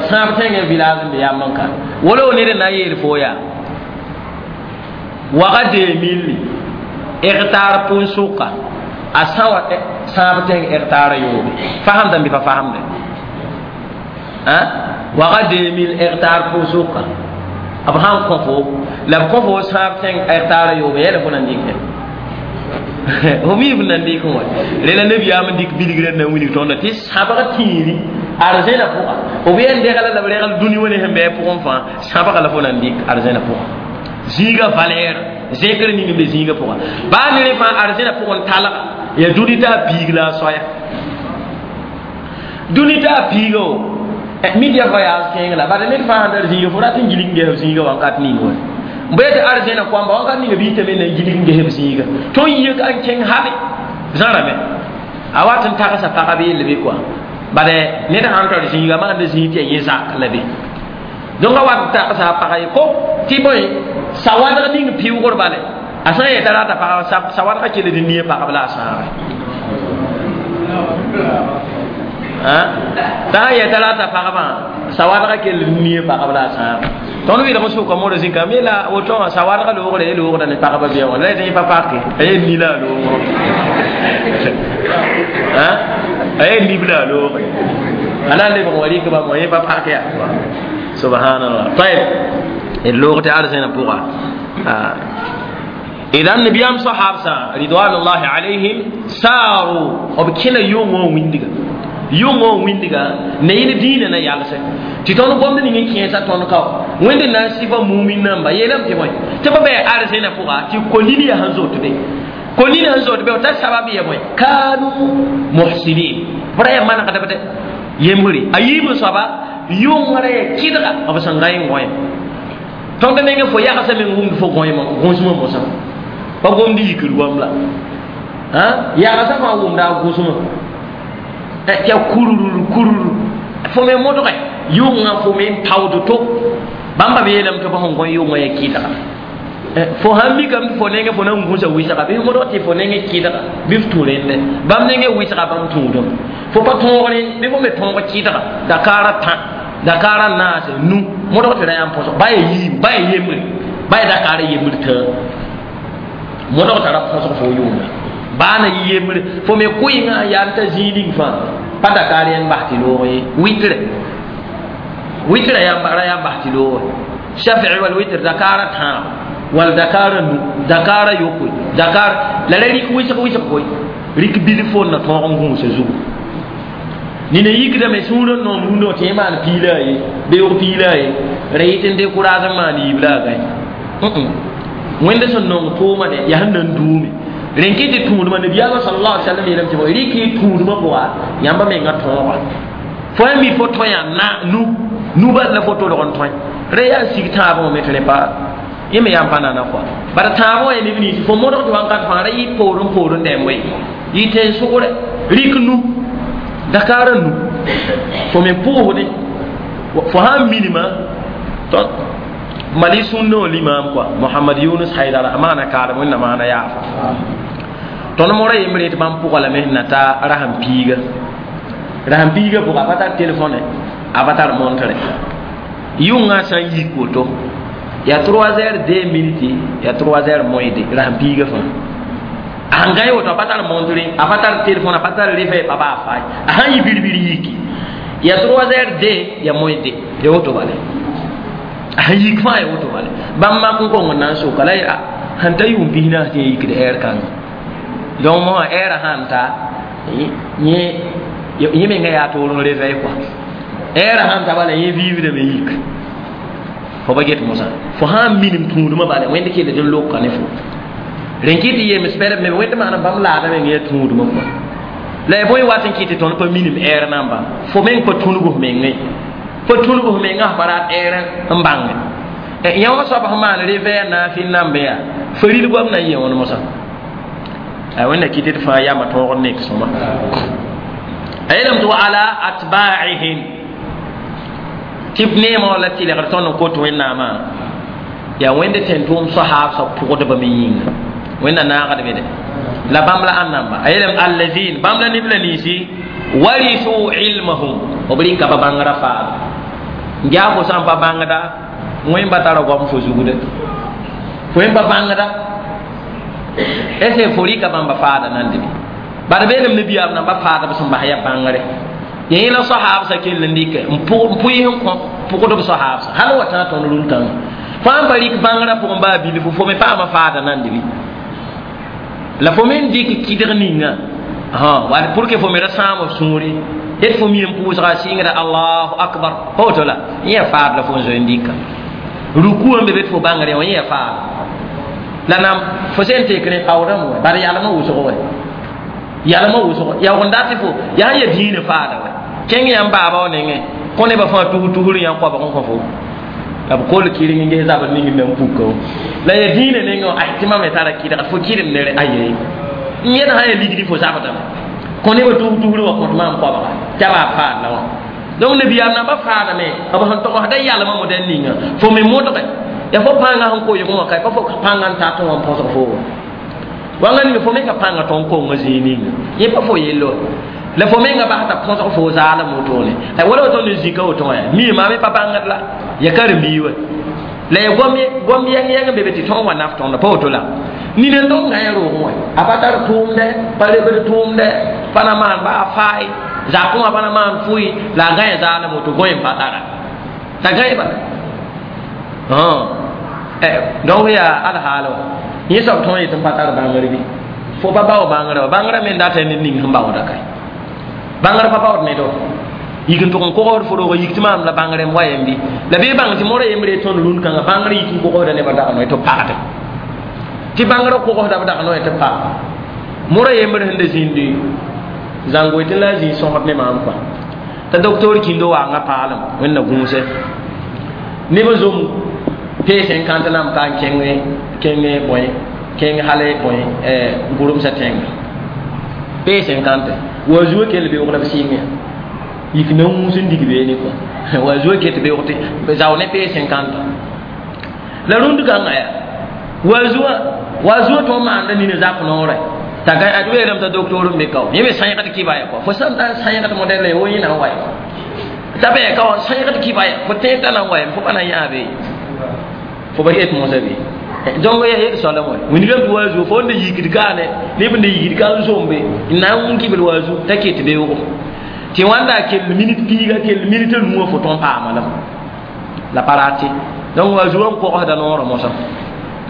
sãab tẽngã village n be yãmb n ka wala wo ned n na n yeel fo yaa waga 2000 hectare pʋn-sʋka a sã wa sãab tẽng hectare yoobe fasamdame bɩ pa fasamde waga 2000 hectare pʋn-sʋka b sãn kõ fo la b kõ fo sãab tẽng hectare yoobe yɛla fo na n dɩkɛ fo mi f na n dɩk wã rẽla nabiyaam n dɩk bilgrã na n wilg tõndã tɩ sãbg tĩiri arzẽna pʋga b yen degla la b regl dũni wã ne sẽn bɩ pʋgẽ fãa sãbga la fo na n dɩk arzẽna pʋga zĩiga valɛɛr zẽkr ning n be zĩiga pʋga baa ne rẽ fãa arzẽna pʋgẽ talga yaa dũni t'a piig la a soaya dũni t'a piiga o mid ya voyage kẽeng la bala ned fãa sãn tar zĩiga fo rat n gilg n ges zĩiga wakat ning wa Bɩ tɩ arzẽna koamba wãnkat ninga bi tame na n gilg n ges b zĩiga tõnd yik n kẽng hale zãrame a wat n tagsa pagb yell bɩ kɔa bala ned sãn tar zĩiga maanda zĩig tɩ yaa yẽ zak la be donc a wat n tagsa a pagã ye ko tɩ bõe sawadg ning pɩʋgr bale a sã n yeta rata pagã sawadgã kell d nie pagb la a sãage t'a sã n yeta rata pagbã sawadgã kell d nie pagb la a sãage tõnd wɩlg n sʋka moorã zĩnka me la woto wã sawadgã loogre ye loogda ne pagba bɩa wã la yetɩ yẽ pa pake a ye ni la a loogr a ye nib la a loogre a na n lebg wa rɩk bãmb wã yẽ pa pak yaa subhanallah tayb d loog tɩ arzẽna pʋga idan nabiyam sahabsa ridwanullahi alayhim saru b kẽna yʋngõ wĩndiga yʋngõ wĩndiga ne yẽl dĩinã na yalsɛ tɩ tõnd gomd ning n kẽesa tõnd kao wẽnd na n sɩfa mumin namba yeelame tɩ bõe tɩ b bɩ arzẽna pʋga tɩ kolin yaa sẽn zot be kolin sẽn zot be t'a sabab ya bõe kanu muhsinin b ra yaa manegdb dɛ yembre a yiib n soaba yʋngrã yaa kɩdga b sẽn gãe n gõe tõnd nengẽ fo yagsã meng wʋmd fo gõsmã mosã pa gomd yikr goam la yagsã fãa wʋmda a gõsmã tɩ a kurur kurur fo me modge yʋngã fo me n taood to bãmba be yeelame tɩ b sẽn gõ yʋngã yaa kɩdga fo sãn mikame tɩ fo nengẽ fo na n gũsa wɩsga bɩ modg tɩ fo nengẽ kɩdga bɩ f tũ rẽndɛ bãmb nengẽ wɩsga bãmb tũudem fo pa tõogre bɩ fo me tõog kɩdga dakaarã tã dakaarã naase nu modg tɩ ra yaa n põsg ba yaa yiim ba yaa yembre ba yaa dakaarã yembr tã modg tara põsg fo yʋʋme baa na yɩ yembre fo me kʋɩngã yaa n ta zĩig ning fãa pa dakaar yãn bas tɩ loog ye wɩtre wɩtrã ra yaa n bas tɩ loog shafi'i wal witr dakaarã tãab wal dakaarã nu dakaarã yopoe dakaar la ra rɩk wɩsg wɩsg koe rɩk bilf fo n na tõog n gũusa zugu nina yikdame sũurã n noom rũndã tɩ yẽ maan piila a ye beoog piila a ye ra yɩt n dekʋraas n maan yiib la a gãe wẽnd sẽn nong tʋʋma de yaa sẽn na n duume rẽn kɩ tɩ tũudmã nabiyaamã sallallahu alaihi wasallam yeelame tɩ bõe rɩk y tũudmã pʋga yãmba menga tõoga fo yaa mi fo tõe yaa na nu nu bas la fo tolg n tõe ra yaa sig tãabã wã me tɩ rẽ pa yẽ me yaa n pa nana kɔa bara tãabã wã yaa neb nins fo modg tɩ wãnkat fãa ra yɩ poorẽ poorẽ dɛm we yɩ tẽn-sʋgre rɩk nu dakaarã nu fo me pʋʋsdẽ fo sãn minima mali sũnnã wã limaam kɔa mohamad yunus haidara a maana kaalem wẽnna maana yaafa tõnd mora yembre tɩ bãmb pʋga lame sẽn na ta rasem piiga rasem piiga pʋga a pa tar telefone a pa tar montre yʋngã sã n yik woto yaa 3 heures 2 minutes yaa 3 heures moins de rasem piiga fãa a sẽn gãe woto a pa tar montre a pa tar telefone a pa tar réveil pa baa faay a sãn yɩ bir-bir yiki yaa 3 heures 2 yaa moins de ya woto bale a sẽn yik fãa ya woto bale bãmb mak n kong n na n soka la yaa sẽn ta yʋʋm pisnaas tɩ yẽ yikd ɛɛr kãnga donc mo ɛɛrã sãn ta yẽ menga yaa toor n réveil kɔa ɛɛrã sãn ta bala yẽ vivdame yik fo pa get mosã fo sãn minim tũudmã bala wẽnd kell tɩ n lokka ne fo rẽn kɩ tɩ yems pɛlb me wẽnd maana bãmb laada meng yaa tũudmã kɔa la ya bõe wat n kɩ tɩ tõnd pa minim ɛɛr namba fo meng pa tũnug f mengẽ pa tũnug f mengã f pa rat ɛɛr n bãnge yã wã soab sẽn maan réveil naafɩ n nambe yaa faril goam na n yẽ wãn mosã a wẽnna kɩ tɩ d fãa yama tõog n nek sõma a yeelame tɩ wa ala atba'ihim tɩ b neemã wã la tɩlgr tõnd n kot wẽnnaamã yaa wẽnd tẽn-tʋʋm soahaabsã pʋgdbame yĩnga wẽnna naagdbe de la bãmb la ãn namba a yeelame allazin bãmb la neb la ninsi warisu ilmahum b rɩka ba bãngrã faaba n yaa fo sã n pa bãngda wẽn ba tara goam fo zugde fo wẽn pa bãngda ese fo rɩka bãmba faada nande be bad beelem nabiyaam namba faada b sẽn bas yaa bãngre yẽ la soahaabsã kell n dɩkɛ n pʋɩs n kõ pʋgdb soahaabsã hal wa tã tõnd rũn-kãngã fãa n pa rɩk bãngrã pʋgẽ baa bilfu fo me paama faada nande bɩ la fo me n dɩk kɩdg ninga wall pour que fo me ra sãam f sũure d fo mi n pʋʋsga a sɩngra allahu akbar pa woto la yẽ yaa faad la fo n zoe n dɩka ruku n be be tɩ fo bãngr wã yẽ yaa faad la nam fo sẽn tek rẽ paoodame wɛ bad yalmã wʋsg wɛ yalmã wʋsg yaoog n dat tɩ fo yaa n ya dĩinã faada wɛ kẽng yãmb baaba wã nengẽ kõ nebã fãa tus tusr yã koabg n kõ fo La b kol kɩreng n ges zabr ning n na n puka la ya dĩinã nengẽ ay tɩ mam me tara kɩdg fo kɩrem nere aye n yẽd sã ya ligdi fo zabdame kõ nebã tus-tusr wa kõt maam koabga t'a baa faad la wã donc nabiyaam namba faadame b sẽn togsda yalmã modɛl ninga fo me modge ya fo pãngã sẽn koyg wã ka pa fo pãngã n tat wã n põsg fo wãnga ninga fo menga pãngã tõnd konga zĩig ninga yẽ pa fo yello la fo menga bas t'a põsg fo zaalem wotone la wala woto ne zĩka woto wã mi maame pa bãngd la ya karen-biig wa la ya gom yɛng yɛng be be tɩ tõog wa naf tõnda pa woto la nina n tõnd gã roogẽ wã a pa tar tʋʋmdɛ pa lebd tʋʋmdɛ pa na maan baa fae zakẽ wã pa na maan fʋɩ la a gã zaalem woto gõe n pa tara t'a gã bala donc yaa alhaal wã yẽ soab tõog yetɩ n pa tar bãngr bɩ fo pa bao bãngrã wa bãngrã me n data ned ning sẽn baooda kae bãngr pa baood ne do yik n tʋg n kogsd fo rooga yik tɩ maam la bãngrẽ n wa yem bɩ la bee bãng tɩ mora yembre tõnd rũnd kãngã bãngrã yik n kogsda nebã dag noe tɩ pagde tɩ bãngrã kogsda b dag noe tɩ pag mora yembre sẽn da zĩndi zãngoe tɩ la a zĩig sõsd ne maam kɔa t'a docteur kĩndo waanga paalem wẽnna gũusɛ neb n zom P50 nam ka n kẽng bõe kẽng hale bõe gʋremsã tẽnga P50 wa zuo kell beoog la b sɩng ya yik na wũus n dig beene kɔa wa zuo ket beoog tɩ zao ne P50 la rũnd kãngã yaa wa zuo tõnd maanda nina zak noorɛ t'a gã ad weelame t'a docteur n be kao yẽ me sãegd kibaya kɔa fo sãn tar sãegd modɛl la wo yẽ na n wa t'a bɩ ka wã sãegd kibaya fo tẽed t'a na n wa fo pa na n yãabe fo ba yet mosã be donc ya yet soalã wã wĩnigame tɩ wa zuo fo n da yikd kaane neb n da yikd ka n zombe n na n wũ kibl wa zu t'a ket beoogo tɩ wãnda a kell minit piiga kell minit a nuwã fo tõn paama lame la pa rate donc wa zuo n kogsda noorã mosã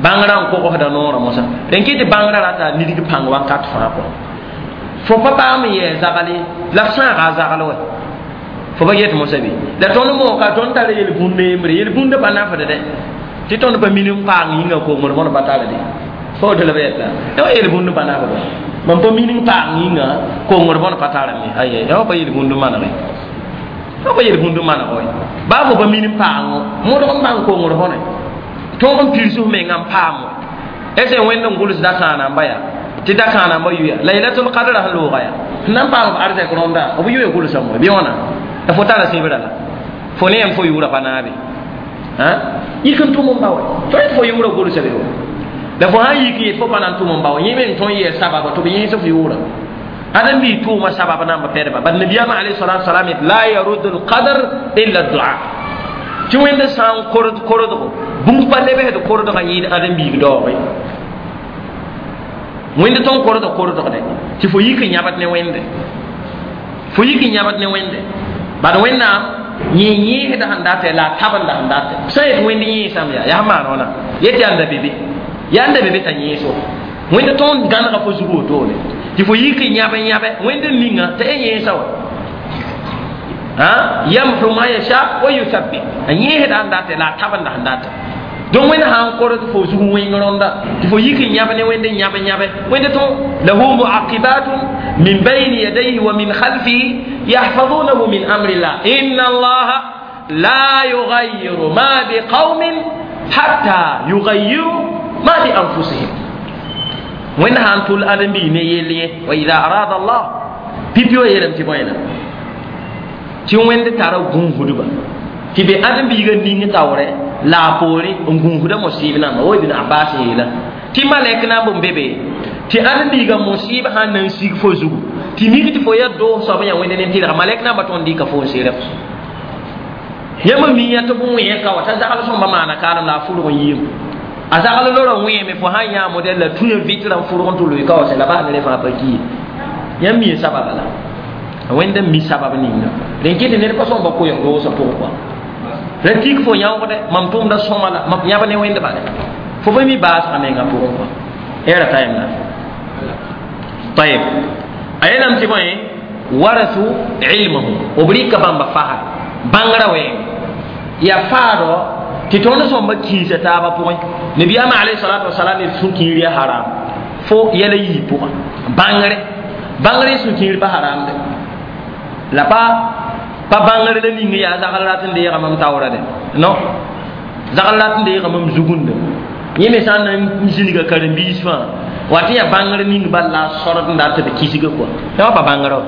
bãngrã n kogsda noorã mosã rẽn kɩ tɩ bãngrã rata nidg pãng wakat fãa pʋgẽ fo pa paam n yɛɛ zagl ye la f sãaga a zagl wɛ fo pa get mosã bɩ la tõnd mooka tõnd tara yel-bũnd yembre yel-bũndã pa nafd dɛ tɩ tõnd pa min n paang yĩnga kongr bõn pa tara de fo woto la b yɛta ya wa yel-bũnd pa nafd mam pa min n paang yĩnga kongr bõn pa tarame aye ya wa pa yel-bũnd manege ya pa yel-bũnd maneg wɛ baa fo pa min n paango modg n bãng kongr bõne tõog n pirs f menga n paam wɛ ese wẽnd n gʋls dakãanamba yaa tɩ dakãanamba yuya laylatul qadra sẽn looga yaa sẽn na n paam b arzɛk rõnda b yuya gʋlsame wɛ bɩ wãna la fo tara sẽbrã la fo ne yãmb fo yʋʋra pa naabe yik n tʋm n ba wɛ tõe tɩ fo yʋʋra gʋlsa be wɛ la fo sãn yik yet fo pa na n tʋm n ba wɛ yẽ me n tõe n yɛɛ sababa tɩ b yẽes f yʋʋra ãdem-biig tʋʋma sabab namba pɛdba bad nabiyaamã alayhi salatu wasalam yet la yaruddu lqadr illa dua tɩ wẽnd sã n kord kordgo bũmb pa lebsd kordgã yɩɩd ãdem-biig daooge wẽnd tõn kordg kordgde tɩ fo yik n yãbd ne wẽnde fo yik n yãbd ne wẽnde bad wẽnnaam yẽ yẽesda sẽn datɛ la a tabenda sẽn datɛ sã yet wẽnd yẽesame yaa yaa maan wãna yet yaa n da be be yaa n da be be t'a yẽeso wẽnd tõnd gãnega fo zug wotone tɩ fo yik n yãb n yãbɛ wẽnd n ninga t'a y yẽesa wa yamhu ma yasha wa yuthabbit a yẽesda sẽn datɛ la a tabenda sẽn datɛ donc wẽnd sã n kord fo zug wẽng rõnda tɩ fo yik n yãb ne wẽnd n yãb n yãbɛ wẽnd tõn lahu muaqibatun min bayni yadayhi wa min khalfihi yahfazunahu min amrillah inna allaha la yughayyiru ma biqaumin hatta yughayyiru ma bi anfusihim wẽnd sã n tʋl ãdem-biig ne yell ye wa ida arada allah pipi wa yeelame tɩ bõe na tɩ wẽnd tara gũusdba tɩ be ãdem-biigã ning taoorɛ la a poore n gũusda mosɩɩb namba wa ibn abbas yeela tɩ malɛk namb n be be tɩ ãdem-biigã mosɩɩb sãn na n sig fo zugu tɩ mik tɩ fo ya doos soab n yaa wẽnd nen-tɩlga malɛk namba tõnd dɩka fo n serem yãmb miya tɩ b wẽe ka wa t'a zagl sõmba maana kaalem la a fʋrg n yiim a zagl lora wẽeme fo sãn yã modɛl la tũyã vɩtrã n fʋrg n tɩ loe ka wa sẽ la baa ne rẽ fãa pa ki ye yãmb mi sababa la wẽnd n mi sabab ninga rẽn kɩ tɩ ned pa sõmba koɛɛg doosã pʋgẽ kɔa ra tik fo yãoogdɛ mam tʋʋmda sõma la mam yãb ne wẽnd bale fo pa mi baasgã mengã pʋgẽ kɔa era tayem la tayeb a yeelame tɩ bõe warasu ilmahum b rɩka bãmba fasd bãngrã wɛɛng yaa faadɔ tɩ tõnd sõmba kĩisa taabã pʋgẽ nabiyaamã alayhi salatu wasalam d sũ-kiir yaa haram fo yɛla yii pʋgã bãngre bãngre sũ-kiir pa haramde la pa pa bãngre la ning yaa zagl rat n deega mam taoora de non Zagl rat n deegame m zugunda yẽ me sã n na n zĩniga karen-biis fãa wa tɩ yaa bãngr ning bal la a sɔrd n dat tɩ b kisga kɔa yã wa pa bãngrã wa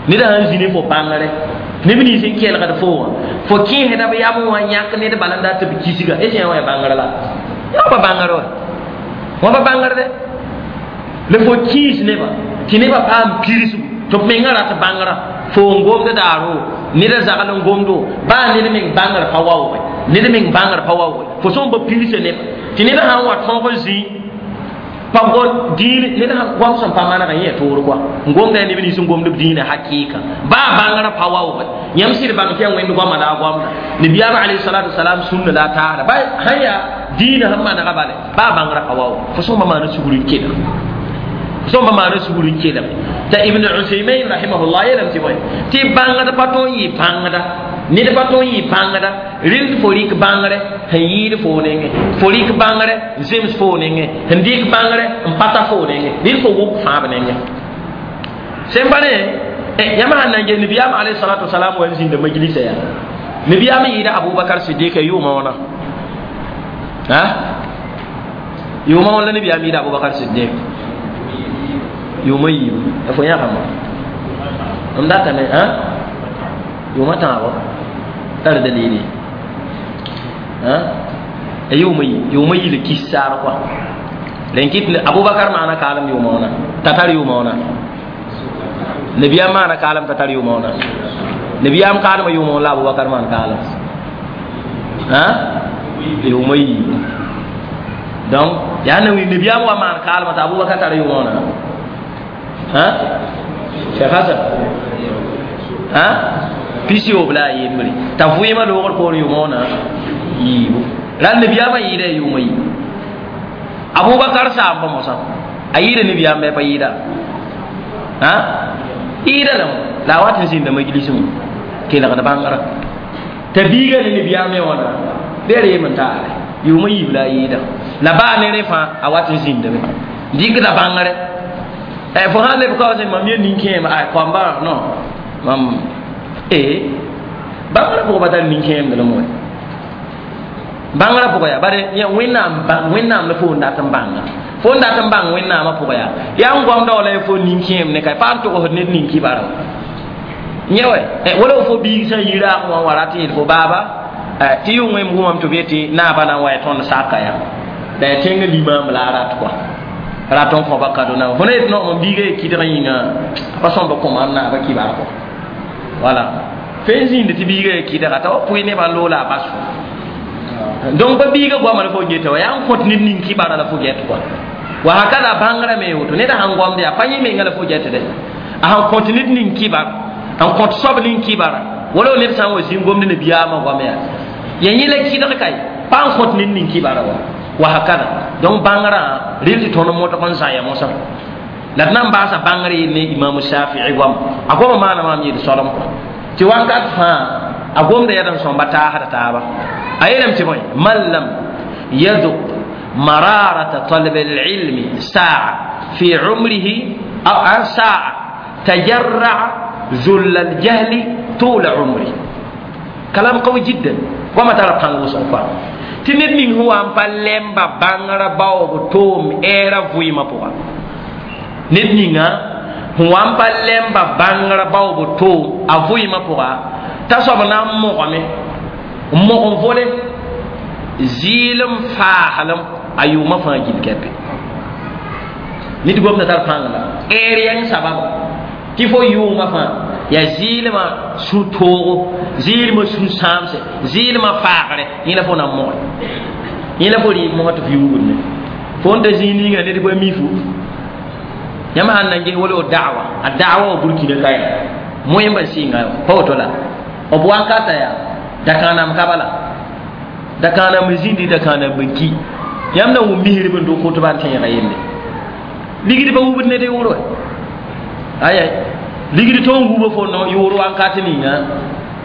ned sãn zĩ ne fo bãngre neb nins n kelgd fo wã fo kẽesda b yam wã yãk ned bala n dat tɩ b kisga y sã wã ya bãngr la yã wa pa bãngr wa wã pa bãngr dɛ la fo kĩis nebã tɩ nebã paam pirsgu tɩ b mengã rat bãngrã fo n gomd daaro ned a zagl n gomdo baa ned meng bãngr pa waooge ned meng bãngr pa waooge fo sõm ba pirsa neba tɩ ned sãn wa tõog n zĩ pa gom dĩin ned sãn goam sẽn pa manegã yẽ toor kɔa n gomda yaa neb nins n gomd b dĩinã hakɩɩka baa bãngrã pa waooge yãmb sɩd bãng tɩ yaa wẽnd goama la a goamda nabiyaam alayhi salatu wasalam sũnna la a taasda ba sãn yaa dĩinã sẽn manega bale baa bãngrã pa waoog fo sõmba maana sugr n kelg sõmba maana sugr n kelg t'a Ibn Usaymain rahimahullah yeelame tɩ bõe tɩ bãngd pa tõe n yɩ bãngda ned pa tõe n yɩ bãngda rɩl tɩ fo rɩk bãngre sẽn yɩɩd foo nengẽ fo rɩk bãngre n zems foo nengẽ sẽn dɩk bãngre n pa ta foo nengẽ rɩl fo wʋk fãab nengẽ sẽn pa ne yãmb sãn na n ges nabiyaam alayhi salatu wasalam wa n zĩnda majlisa yaa nabiyaam yɩɩda Abubakar Sidika yʋʋma wãna a yʋʋma wãn la nabiyaam yɩɩda Abubakar Sidik yʋʋma yiibu fo yãgame m datame a yʋʋma tãabo tar dalili a yʋʋma yi yʋʋma yi la kis saar kɔa rẽn kɩt Abubakar maana kaalem yʋʋma wãna t'a tar yʋʋma wãna nabiyaam maana kaalem t'a tar yʋʋma wãna nabiyaam kaalmã yʋʋma wãn la Abubakar maan kaalem a yʋʋma yiibu donc yaa na nabiyaam wa maan kaalmã t'a Abubakar tar yʋʋma wãna ha Cheikh Hasan ha pisiyoob la a yembre t'a vɩɩmã loogr poor yʋʋma wãna yiibu la nabiyaamã yɩɩda ya yʋʋma yiibu Abubakar saamba mosã a yɩɩda nabiyaam bɩ pa yɩɩda ha yɩɩda lame la a wat n zĩnda majlisẽ wã kelgd bãngrã t'a biiga ne nabiyaam me wãna bɩ a reem n taare yʋʋma yiib la a yɩɩda la baa ne rẽ fãa a wat n zĩndame dɩkda bãngre fo sãn leb kaoosẽ mam ye nin-kẽema ay koamba non mam e bãngrã pʋgã pa tar nin-kẽemd la moe bãngrã pʋgã yaa bare wẽnnaam wẽnnaam la fo n dat n bãnga fo n dat n bãng wẽnnaamã pʋgã yaa yaa n goamda wala fo nin-kẽem ne ka pa n togsd ned nin-kibara yẽ wɛ wala fo biig sã n yi raag wã wa rat n yeel fo baaba tɩ yʋngẽ m wʋmame tɩ b yetɩ naabã na n wa ya tõnd saka ya la ya tẽngã limaam la a rat kɔa rat n kõba kado na fo na yet no mam biiga ye kɩdg yĩnga pa sõmba kõ maam naabã kibar kɔ wala fe n zĩnd tɩ biiga ye kɩdga t'a wa pʋɩ nebã n loola a bas fo donc pa biiga goama la fo geta wa yaa n kõt ned ning kibara la fo get kɔa wa hakada bãngrã me woto ned sãn goamd yaa pa yẽ menga la fo getde a sãn kõt ned ning kibar n kõt soab ning kibara wala ned sã n wa zĩng gomd nabiyaamã goam yaa ya yẽ la kɩdg kae pa n kõt ned ning kibara wa wa hakada donc bãngrã rɩl tɩ tõnd modg n zãya mosã la d na n baasa bãngr yel ne Imam Shafii goam a goama maana maam yel soalem kɔ tɩ wakat fãa a gomda yad n sõmba taasda taaba a yeelame tɩ bõe man lam yaduk mararata talb alilmi saa fi umrihi aw saa tajarraa zull aljahli tula umri kalam qawi jiddan goama tara pãng wʋsg kɔa tɩ ned ning sẽn wa n pa lemba bãngrã baoob toom ɛɛra vɩɩmã pʋga ned ninga sẽn wa n pa lemba bãngrã baoob toom a vɩɩmã pʋga t'a soab na n mogame n mog n vole zɩɩlem faaslem a yʋʋmã fãa gil kɛpe ned gomda tar pãng la ɛɛr yãng sababa tɩ fo yʋʋmã fãa yaa zɩɩlmã sũ-toogo zɩɩlmã sũ-sãamse zɩɩlmã faagre yẽ la fo na n moge yẽ la fo rɩ mosã tɩ f yuugd ne fo n ta zĩig ninga ned pa mi fu yãmb sãn na n ges wala da'wa a da'wa wa Burkina ka yaa moẽmba sɩnga pa woto la b wakata yaa dakãanam ka bala dakãanam n zĩndi dakãanam n ki yãmb na wʋm misrb n dʋk kotba n tẽega yelle ligd pa wubd ned yʋʋr wa aya ligd tõn wuba fo no yʋʋr wakat ninga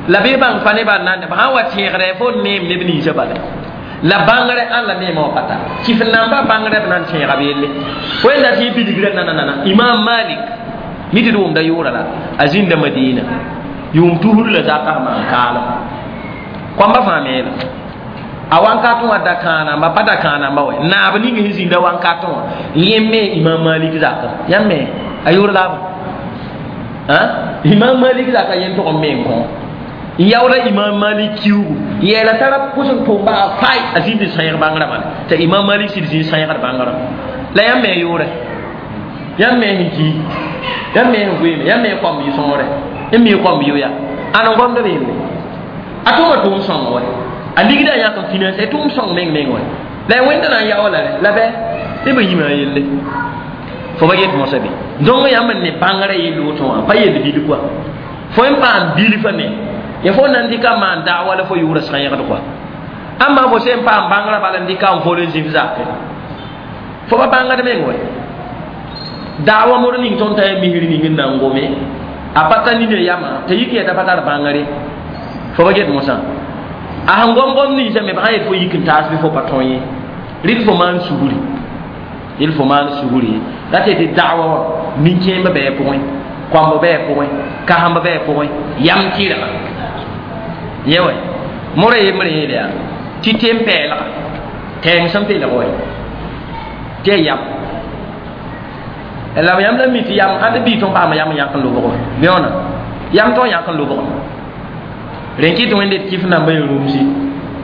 la bɩ bãng pa nebã n nan b sãn wa tẽegdɛ fo neem neb ninsã bala la bãngre ãn la neemã wã pa tar kɩf namba bãngrɛ b na n tẽega b yelle fo yẽnda tɩ yẽ bilgrã nananana Imam Malik mi tɩ d wʋmda yʋʋra la a zĩnda Madina yʋʋm tusr la zakã maan kaalem koamba fãa meela A wankatẽ wã da kãanamba pa da kãanamba wɛ naab ning sẽn zĩnda wankatẽ wã yẽ me Imam Malik zakã yãmb me a yʋʋr laaba Imam Malik zaka yẽn tʋg n me n kõ n yaooda Imam Malik kiugu yeela tara pʋs n tʋm baa fay a zĩnd n sãyg bãngrã bala t'a Imam Malik sɩd zĩnd sãygd bãngrã la yãmb me yʋʋrɛ yãmb me sẽn ki yãmb me sẽn goeeme yãmb me kõmb yɩ sõore n mi kõmb yʋ ya ãn n gomd b yelle a tʋma tʋʋm sõng wɛ a ligda a yãk n finance a tʋʋm sõng meng meng wɛ la wẽnda na n yao la rɛ la bɛ neb n yĩma a yelle fo ba get mosã be donc yãmb n ne bãngrã yell woto wã pa yell bil kɔa fo n paam bilfã me ya fo nan dɩka n maan daawa la fo yʋʋra sãyegd kɔa ãmba fo sẽn paam bãngrã bala n dɩka n fol n zĩf zakẽ fo ba bãngd meng wɛ daawa mor ning tõnd t'a yaa misr ning n na n gome a pa ta nina yamã t'a yik yɛta pa tar bãngre fo ba get mosã a sẽn gom gom ninsã me b sã yet fo yik n taas bɩ fo pa tõe ye rɩd fo maan sugri il fo maan sugri la tɩ tɩ daawa wã nin-kẽembã bɩ a pʋgẽ koambã bɩ a pʋgẽ kasembã bɩ a pʋgẽ yam tɩrga yẽ wɛ morã yembrã yeele yaa tɩ tem-pɛɛlga tɛɛng sẽn peelg wɛ tɩ ya yam la yãmb la mi tɩ yam ãd bii tõn paama yam n yãk n lobg bɩ wãna yam tõn yãk n lobg rẽn kɩ tɩ wẽnde d kɩf namba ya rũmsi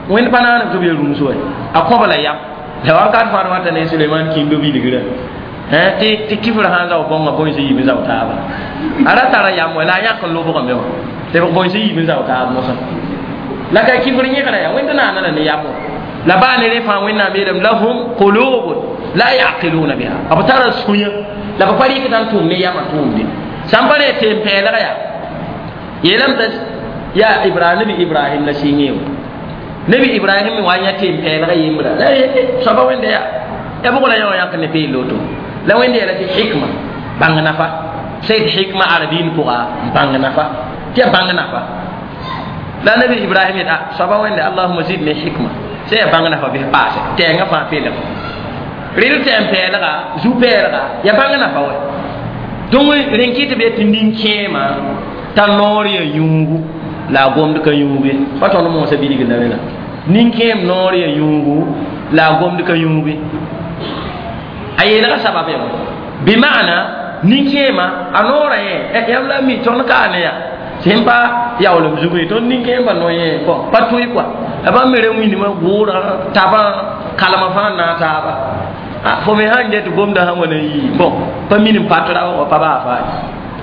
wẽnd pa naaneb tɩ b ya rũms wɛ a kõba la yam la wakat fãa wata ne Suleiman kĩndo bilgrã tɩ kifr sã n zao bõnga bõe sẽn yiib n zao taaba a ra tara yam wɛ la a yãk n lobgame wã tɩ b bõe sẽn yiib n zao taab mosã la ka kifr yẽgra yaa wẽnd naana la ne yam wã la baa ne rẽ fãa wẽnnaam yeelame lahum qulubun la yaqiluna biha b tara sũyã la b pa rɩkd n tʋʋm ne yamã tʋʋmde sãn pa re tem-pɛɛlg yaa yeelame t'a yaa Ibrahim nabi Ibrahim la sɩng ye nabi Ibrahim wa yã tem-pɛɛlga yembra la soaba wẽnda yaa ya bʋg la yã wã yãk ne peel woto la wẽnda yeela tɩ hikma bãng nafa sẽn hikma arabiin pʋga bãng nafa tɩ ya bãng nafa la nabi Ibrahim yet soaba wẽnda allahuma zidni hikma sẽn ya bãng nafa bɩs paase tɛɛngã fãa peelg rɩl tɛm-pɛɛlga zu-pɛɛlga ya bãng nafa wɛ donc rẽn kɩ tɩ b yetɩ nin-kẽema t'a noor ya yũugu la a gomd ka yũug ye pa tõnd moosã bilg la rẽna nin-kẽem noor ya yũugu la a gomd ka yũug ye a yeelga sabab ya bɩ maana nin-kẽema a noorã yẽ yãmb la mi tõnd kaa ne ya sẽn pa yaoolem zug ye tõnd nin-kẽembã no yẽ bõn pa tõe kɔa la bãmb me ra wĩndmã gʋʋrã tabã kalmã fãa n naag taaba fo me sãn get gomdã sã wã na yii bõn pa min n patra wa pa baa faa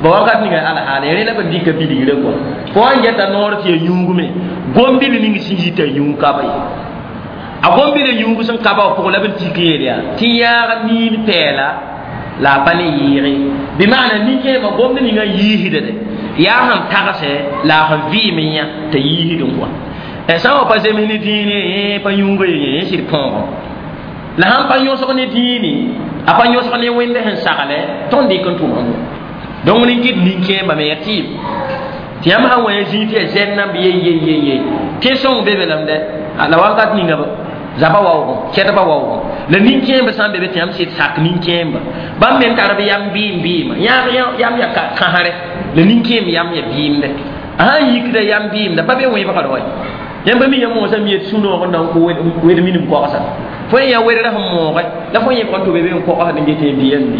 ba wakat ninga alhaala rẽ la b dɩka bilgrã kɔa fo wã n geta noor tɩ ya yũug me gom-bil ning sẽn yita yũug kaba ye a gom-bila yũug sẽn kaba wã pʋgẽ la b n tik yeel yaa tɩ yãag niin pɛɛla la a pa ne yɩɩge bɩ maana nin-kẽemã gomd ninga n yiisdade yaa sẽn tagsɛ la a sẽn vɩɩm n yã t'a yiisd n kɔa sã n wa pa zems ne dĩine yẽ pa yũuga ye yẽ sɩd põogẽ la sãn pa yõsg ne dĩine a pa yõsg ne wẽnd sẽn saglɛ tõnd dɩk n tʋma donc rẽn kɩt nin-kẽembã me ya tɩɩm tɩ yãmb sã n wa ya zĩig tɩ ya zɛn namb ye ye ye ye tẽ sõng be be lame dɛ la wakat ninga zaba waoogẽ kɛdba waoogẽ la nin-kẽembã sã n be be tɩ yãmb sɩd sak nin-kẽemba bãmb me n tar b yam bɩɩm bɩɩmã yam ya kãsrɛ la nin-kẽem yam ya bɩɩmdɛ a sãn yikda yam bɩɩmda pa be wẽbgd wɛ yãmb mi yã moosã mi yet sũ-noog n na n kʋ wed minim kogsa fo yã wedrã sẽn mooge la fo yẽbg n tʋ be be n kogsd n get yẽ bɩyam bɩ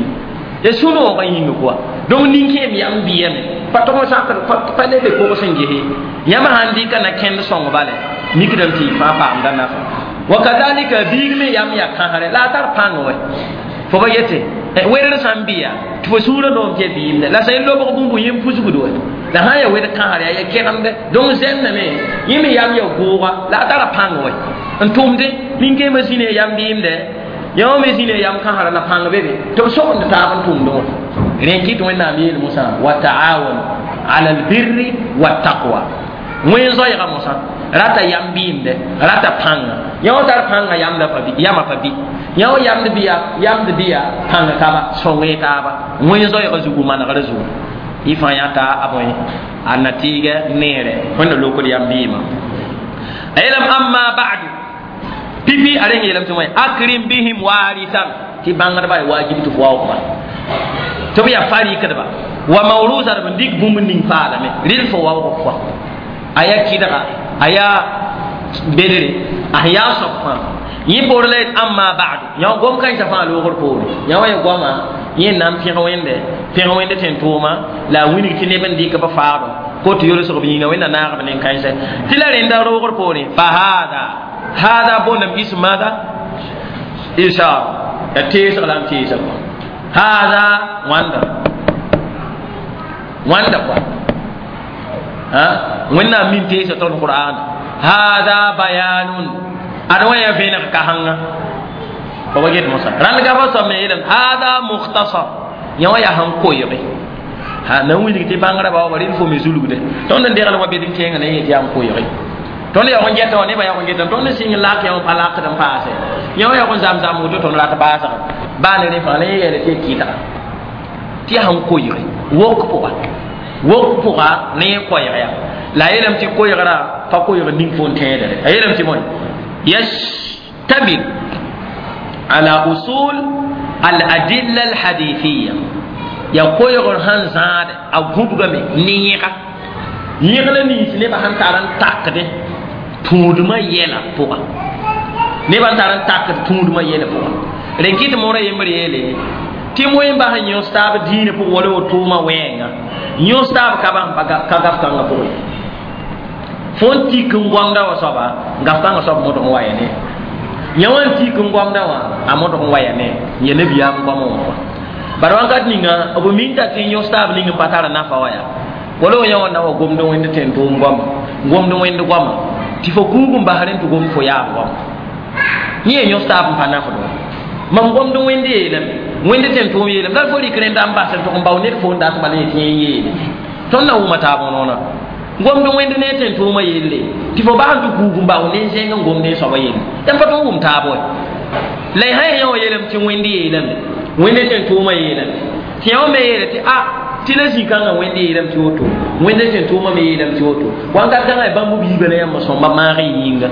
ya sũ-noogã yĩnga kɔa donc nin-kẽem yam bɩyame pa tog n sakd pa le be kogs n gese yãmb sãn dɩka na kẽnd sõng bale mikdame tɩ y fãa paamda nafa wa kadalika biig me yam ya kãsrɛ la a tar pãng wɛ fo ba yete wedr sã n bɩya tɩ fo sũurã noom tɩ ya biimdɛ la sã n lobg bũmb yẽ pusgd wɛ la sã n ya wed kãsr yaa ya kegemdɛ donc zẽnname yẽ me yam ya gʋʋga la a tara pãng wɛ n tʋmde nin-kẽemã zĩna yam bɩɩmdɛ yã me zĩna yam kãsra la pãng be be tɩ b sogend taab n tʋmdẽ wã rẽn kɩ tɩ wẽnnaam yeel mosã wa taawanu ala albirri wattaqwa wẽn zoɛɛga mosã rata yam bɩɩmdɛ rata pãnga yã wã tar pãnga yamã pa bɩ yã wã yamd bɩya pãnga kaba sõng taaba wẽn zoɛɛga zugu manegrã zugu y fãa yãta a bõe a na tɩɩgɛ neere wẽnna lokd yam bɩɩmã a yeelame amma ba'du pipi a reng yeelame tɩ wẽ akrim bihim warisan tɩ bãngdbã ya wajib tɩ fo waoogba tɩ b yaa fa rɩkdba wa mawrusa b n dɩk bũmb ning paalame rɩl fo waoog pʋga a yaa kɩdga a yaa bedre a ya soab fãa yẽ poor la yet amma ba'du yã gom kãensã fãa loogr poore yã wa ya goama yẽ n na n pẽg wẽnde pẽg wẽnde tẽn-tʋʋma la a wilg tɩ neb n dɩk b faado ko tɩ yolsg b yĩnga wẽnna naag b nin-kãensɛ tɩ la rẽnda roogr poore fa hada hada boondame ism maada ishaara ya teesg la n teesa kɔa hada wãnda wãnda kɔa wẽnnaam min teesa tõnd qur'ana hada bayanun ad wã ya vẽeneg kasẽnga fo ba get mosã rãnd gafa soab me yeelame hada mukhtasar yã wã yaa sẽn koeege ha na n wilg tɩ bãngrã ba wa rɩl fo me zulgde tõnd n degl wa bed n kẽengã na yet yaa n koeege tõnd yaoog n gɛta wã nebã yaoog n geta tõnd sɩng lak yã wã pa lakd n paase yã wã yaoog n zam-zam woto tõnd rat baasga baa ne rẽ fãa la yẽ yeela tɩ ya kɩtga tɩ yaa sẽn koeege wok pʋga wok pʋga ne yẽ koɛɛg ya la a yeelame tɩ koɛɛgrã pa koɛɛg ning fo n tẽedre a yeelame tɩ bõe yashtamil ala usul al adilla al hadithiya ya koɛɛgr sẽn zãade a gũbgame ne yẽga yẽg la nins nebã sẽn tar n takdẽ tũudmã yɛla pʋga nebã n tar n takd tũudmã yɛla pʋga rẽ kɩt moorã yembr yeele tɩ moẽ bas n yõs taab dĩinã pʋgẽ wala wotoomã wɛɛnga yõs taab ka ka gaf kãngã pʋgẽ fo n tik n goamda wã soaba gaf kãngã soab modg n wa ya ne yã wã n tik n goamda wã a modg n wa ya ne n ya nabiyaam goamã wã kɔa bara wakat ninga b minta tɩ yõs taab ning n pa tara nafa wã yaa wala yã wã na wa gomd wẽnd tẽn-tʋʋm goama gomd wẽnd goama tɩ fo kuug n bas rẽ tɩ gomd fo yaab goama yẽ ya yõs taab n pa nafd wã mam gomd wẽnd yeelame wẽnd tẽn-tʋʋm yeelame la fo rɩk rẽnda n bas n tʋg n bao ned fo n dat bala yetɩ yẽ yeele tõnd na wʋma taab noona gomd wẽnd ne tẽn-tʋʋmã yelle tɩ fo bas n tɩ kuug n bao ne zẽng n gomd n soaba yelle tɩ pa tõnd wʋm taab wa la y sã yã wã yeelame tɩ wẽnd yeelame wẽnd tẽn-tʋʋmã yeelame tɩ yã wã me yeela tɩ a tɩ la zĩ-kãngã wẽnd yeelame tɩ woto wẽnd tẽn-tʋʋmã me yeelame tɩ woto wãnkat kãngã bãmb biibã la yãmb sõmba maag y yĩnga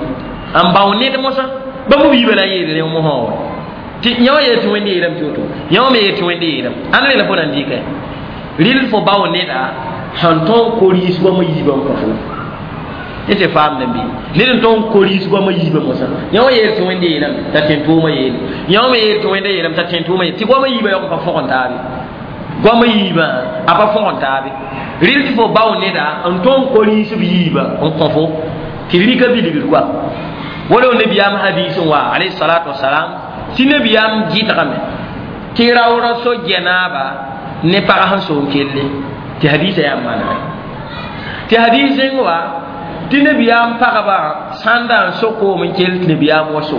n bao ned mosã bãmb biibã la n yeel rẽ mosã wa tɩ yã wã yeel tɩ wẽnd yeelame tɩ woto yã wã me yeel tɩ wẽnd yeelame ãnd rela fo na n dɩka rɩl fo bao neda sẽn tõog ko-riis goamã yiibã n kõ fo yẽ tɩ faamdẽ bɩ ned n tõog n ko-riis goamã yiibã mosã yã wã yeel tɩ wẽnd yeelame t'a tẽn-tʋʋmã yeele yã wã me yeel tɩ wẽnda yeelame t'a tẽn-tʋʋmã yeele tɩ goamã yiibã yaoog n pa fõgen taabe goamã yiibã a pa fõgen taabe rɩl tɩ fo bao neda n tõog n ko-riis b yiibã n kõ fo tɩ rika bilgr koa wala nabiyaam hadis n wa alayhi salatu wasalam tɩ nabiyaam gɩdgame tɩ raoorã so gɛnaaba ne pag sẽn so n kelle tɩ hadisa yaa manegɛ tɩ hadis n wa tɩ nabiyaam pagba sãnda n so koom n kell tɩ nabiyaam wa so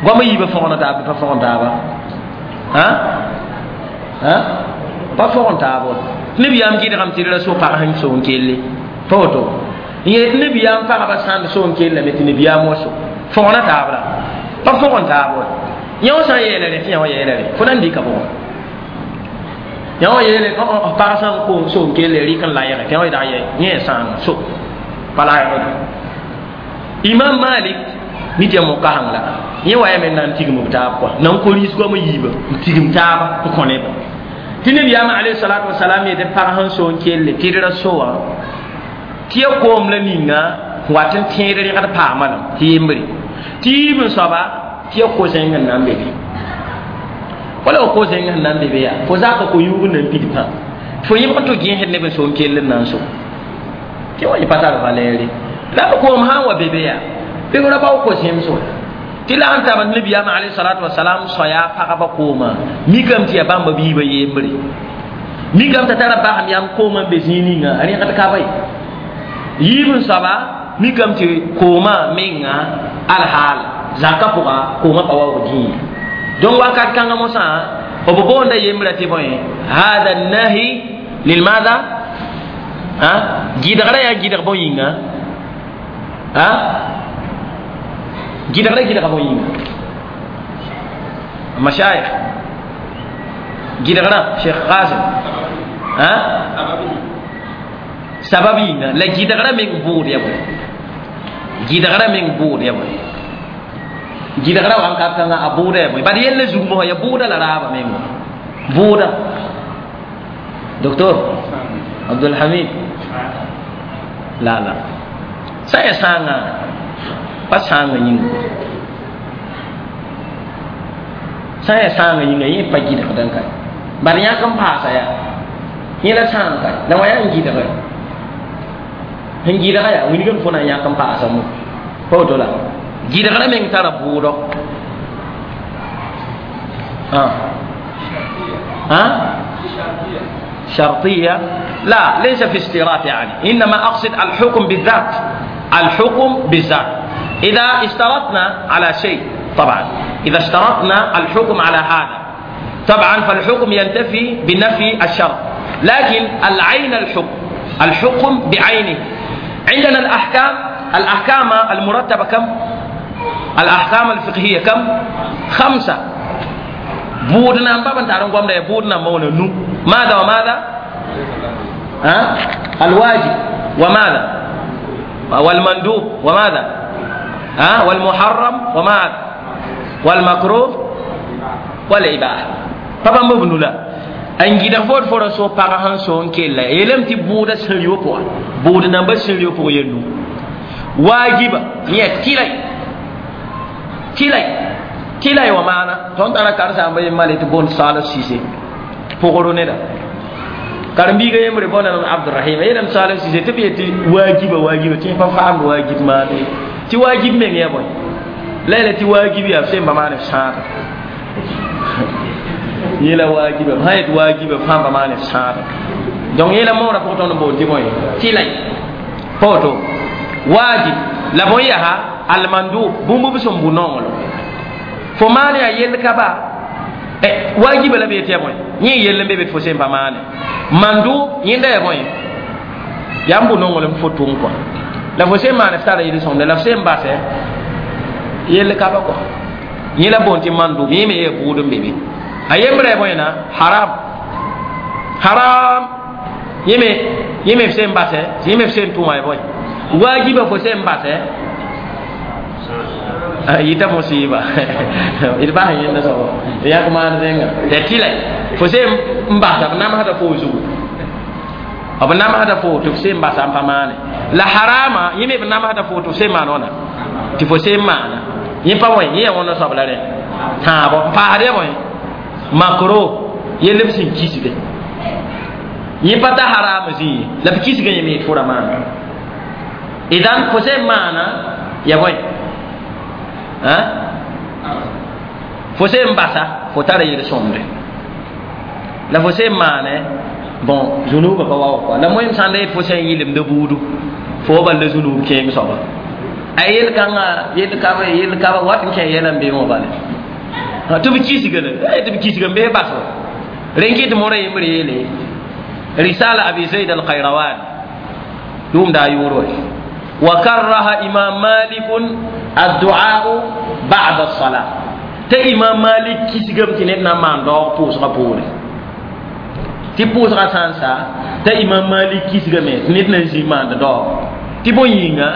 goamã yiibã fõgna taab pa fõgen taaba pa fõgen taab wa tɩ nabiyaam gɩdgame tɩ d ra so pag sẽn so n kelle pa woto n yeel tɩ nabiyaam pagba sãnd so n kellame tɩ nabiyaam wa so fõgna taab la pa fõgen taab wa yã wã sã n yeela rẽ tɩ yã wã yeela rẽ fo na n dɩka bʋgẽ yã wã yeele pag sã n koom so n kelle rɩk n layge tɩ yã wã dag yẽ sãanga so pa laygd imam malik mi tɩ ya mo-kaseng la yẽ wa yame n na n tigm b taab kɔa na n ko-riis goamã yiibã n tigm taaba n kõ nebã tɩ nabiyaamã alayhi salatu wasalam yetɩ pag sẽn so n kelle tɩ d ra so wã tɩ ya koom la ninga wat n tẽed rẽgd paama lame tɩ yembre tɩ yiib n soaba tɩ ya ko-zẽng n na n be be wala fo ko-zẽng sẽn na n be be yaa fo zaka ko-yũug n na n pid pã fo yẽbg n tɩ gẽesd neb n so n kell n na n so tɩ wa yẽ pa tar valɛɛre la b koom sã n wa be be yaa bɩ ra bao ko-zẽms wa tɩ la sẽn tab nabiyaamã alayhi salatu wasalam soaya pagba koomã mikame tɩ yaa bãmba biibã yembre mikame t'a tara basem yam koomã n be zĩig ninga rẽgd ka ba ye yiib n soaba mikame tɩ koomã menga alhaal zakã pʋga koomã pa waoog dĩiga donc wakat kãngã mosã b boonda yembrã tɩ bõe hada nahi lilmada gɩdgrã yaa gɩdg bõe yĩnga gɩdgrã gɩdga bõe yĩnga mashayikh gɩdgrã cheikh qasim sabab yĩnga la gɩdgrã meng bʋʋd ya bõe gɩdgrã meng bʋʋd ya bõe gɩdgrã wãnkat kãngã a bʋʋda ya bõe bad yella zug mosã ya bʋʋda la raaba menga bʋʋda docteur Abdulhamid la la Sã n yaa sãangã pa sãangã yĩnga sã n yaa sãangã yĩnga yẽ pa gɩdgd n ka bad yãk n paasa yaa yẽ la sãang ka la wã yaa n gɩdge sẽn gɩdga yaa wilgem fo na n yãk n paasa mo pa woto la gɩdgrã meng tara bʋʋdɔ ها شرطية لا ليس في اشتراط يعني إنما أقصد الحكم بالذات الحكم بالذات إذا اشترطنا على شيء طبعا إذا اشترطنا الحكم على هذا طبعا فالحكم ينتفي بنفي الشرط لكن العين الحكم الحكم بعينه عندنا الأحكام الأحكام المرتبة كم؟ الأحكام الفقهية كم؟ خمسة بودنا بابا تعرفون قام ده بودنا مونا نو ماذا وماذا؟ ها؟ الواجب وماذا؟ والمندوب وماذا؟ ها؟ والمحرم وماذا؟ والمكروه والإباحة بابا مبنو لا n gɩdg fo d fo ra so pag sẽn so n kella yeelame tɩ bʋʋda sẽn-yo pʋga bʋʋd namba sẽn-yo pʋgã yel-nu waajiba yẽ tɩlay tɩlay tɩlay wã maana tõnd tara karen-saamba yembã le tɩ boond Salif Sise pʋgr neda karen-biiga yembre boonda Abdurahim yeelame Salif Sise tɩ b yet tɩ waajiba waajiba tɩ pa faamd waajib maana ye tɩ waajib meng yaa bõe la yeela tɩ waajib yaa b sẽn ba maan f sãada yela wajiba sã yet wajiba fãmba maan f sãada donc yela moorã pʋgẽ tõnd n boond tɩ bõe tɩlay pa woto wajib la bõe yaa almandub bũmb b sẽn bu nonglem fo maan yaa yell ka ba wajiba la b yet yaa bõe yẽ yell n be be tɩ fo sẽn pa maane mandub yẽnda yaa bõe yaa n bu nonglem fo tʋm kɔa la fo sẽn maan f tara yel-sõmde la f sẽn basɛ yell ka ba kɔa yẽ la boond tɩ mandub yẽ me yaa buud n be be a yembrã bõe na haram haram yẽme yẽme f sẽn basɛ yẽme f sẽn tʋma ya bõe wajiba fo sẽn basɛ yita musiba d bas yẽnda soaba yãk maan zẽnga tɩ tɩla fo sẽn n basa b namsda fo zugu b namsda fo tɩ f sẽn basa n pa maane la harama yẽme b namsda fo tɩ f sẽn maan wãna tɩ fo sẽn maana yẽ pa bõe yẽ ya wãnda soab la rẽ tãabo n paasd ya bõe makro yell b sẽn kisge yẽ pa ta haram zĩ ye la b kisgã yẽme tɩ fo ra maana idan fo sẽn maana ya bõe fo sẽn basa fo tara yel-sõmde la fo sẽn maane bon zunubã pa waoog kɔa la moem sãn da yet fo sẽn yɩlemda buudu fo bal la zunub kẽem soaba a yel-kãngã yel-kaba yel-kaba wat n kẽ yɛla n beẽ wã bale tɩ b kisga la tɩ b kisga n bee baso rẽn kɩ tɩ morã yembre yeele risala Abi Zaid al-Qayrawan yʋʋmda a yʋʋr wa وكره إمام مالك الدعاء بعد الصلاة tɩ imam Malik kisgame tɩ ned na n maan daoog pʋʋsgã poore tɩ pʋʋsgã sã n sa t'a imam Malik kisgame tɩ ned na n zĩ maand daoog tɩ bõe yĩnga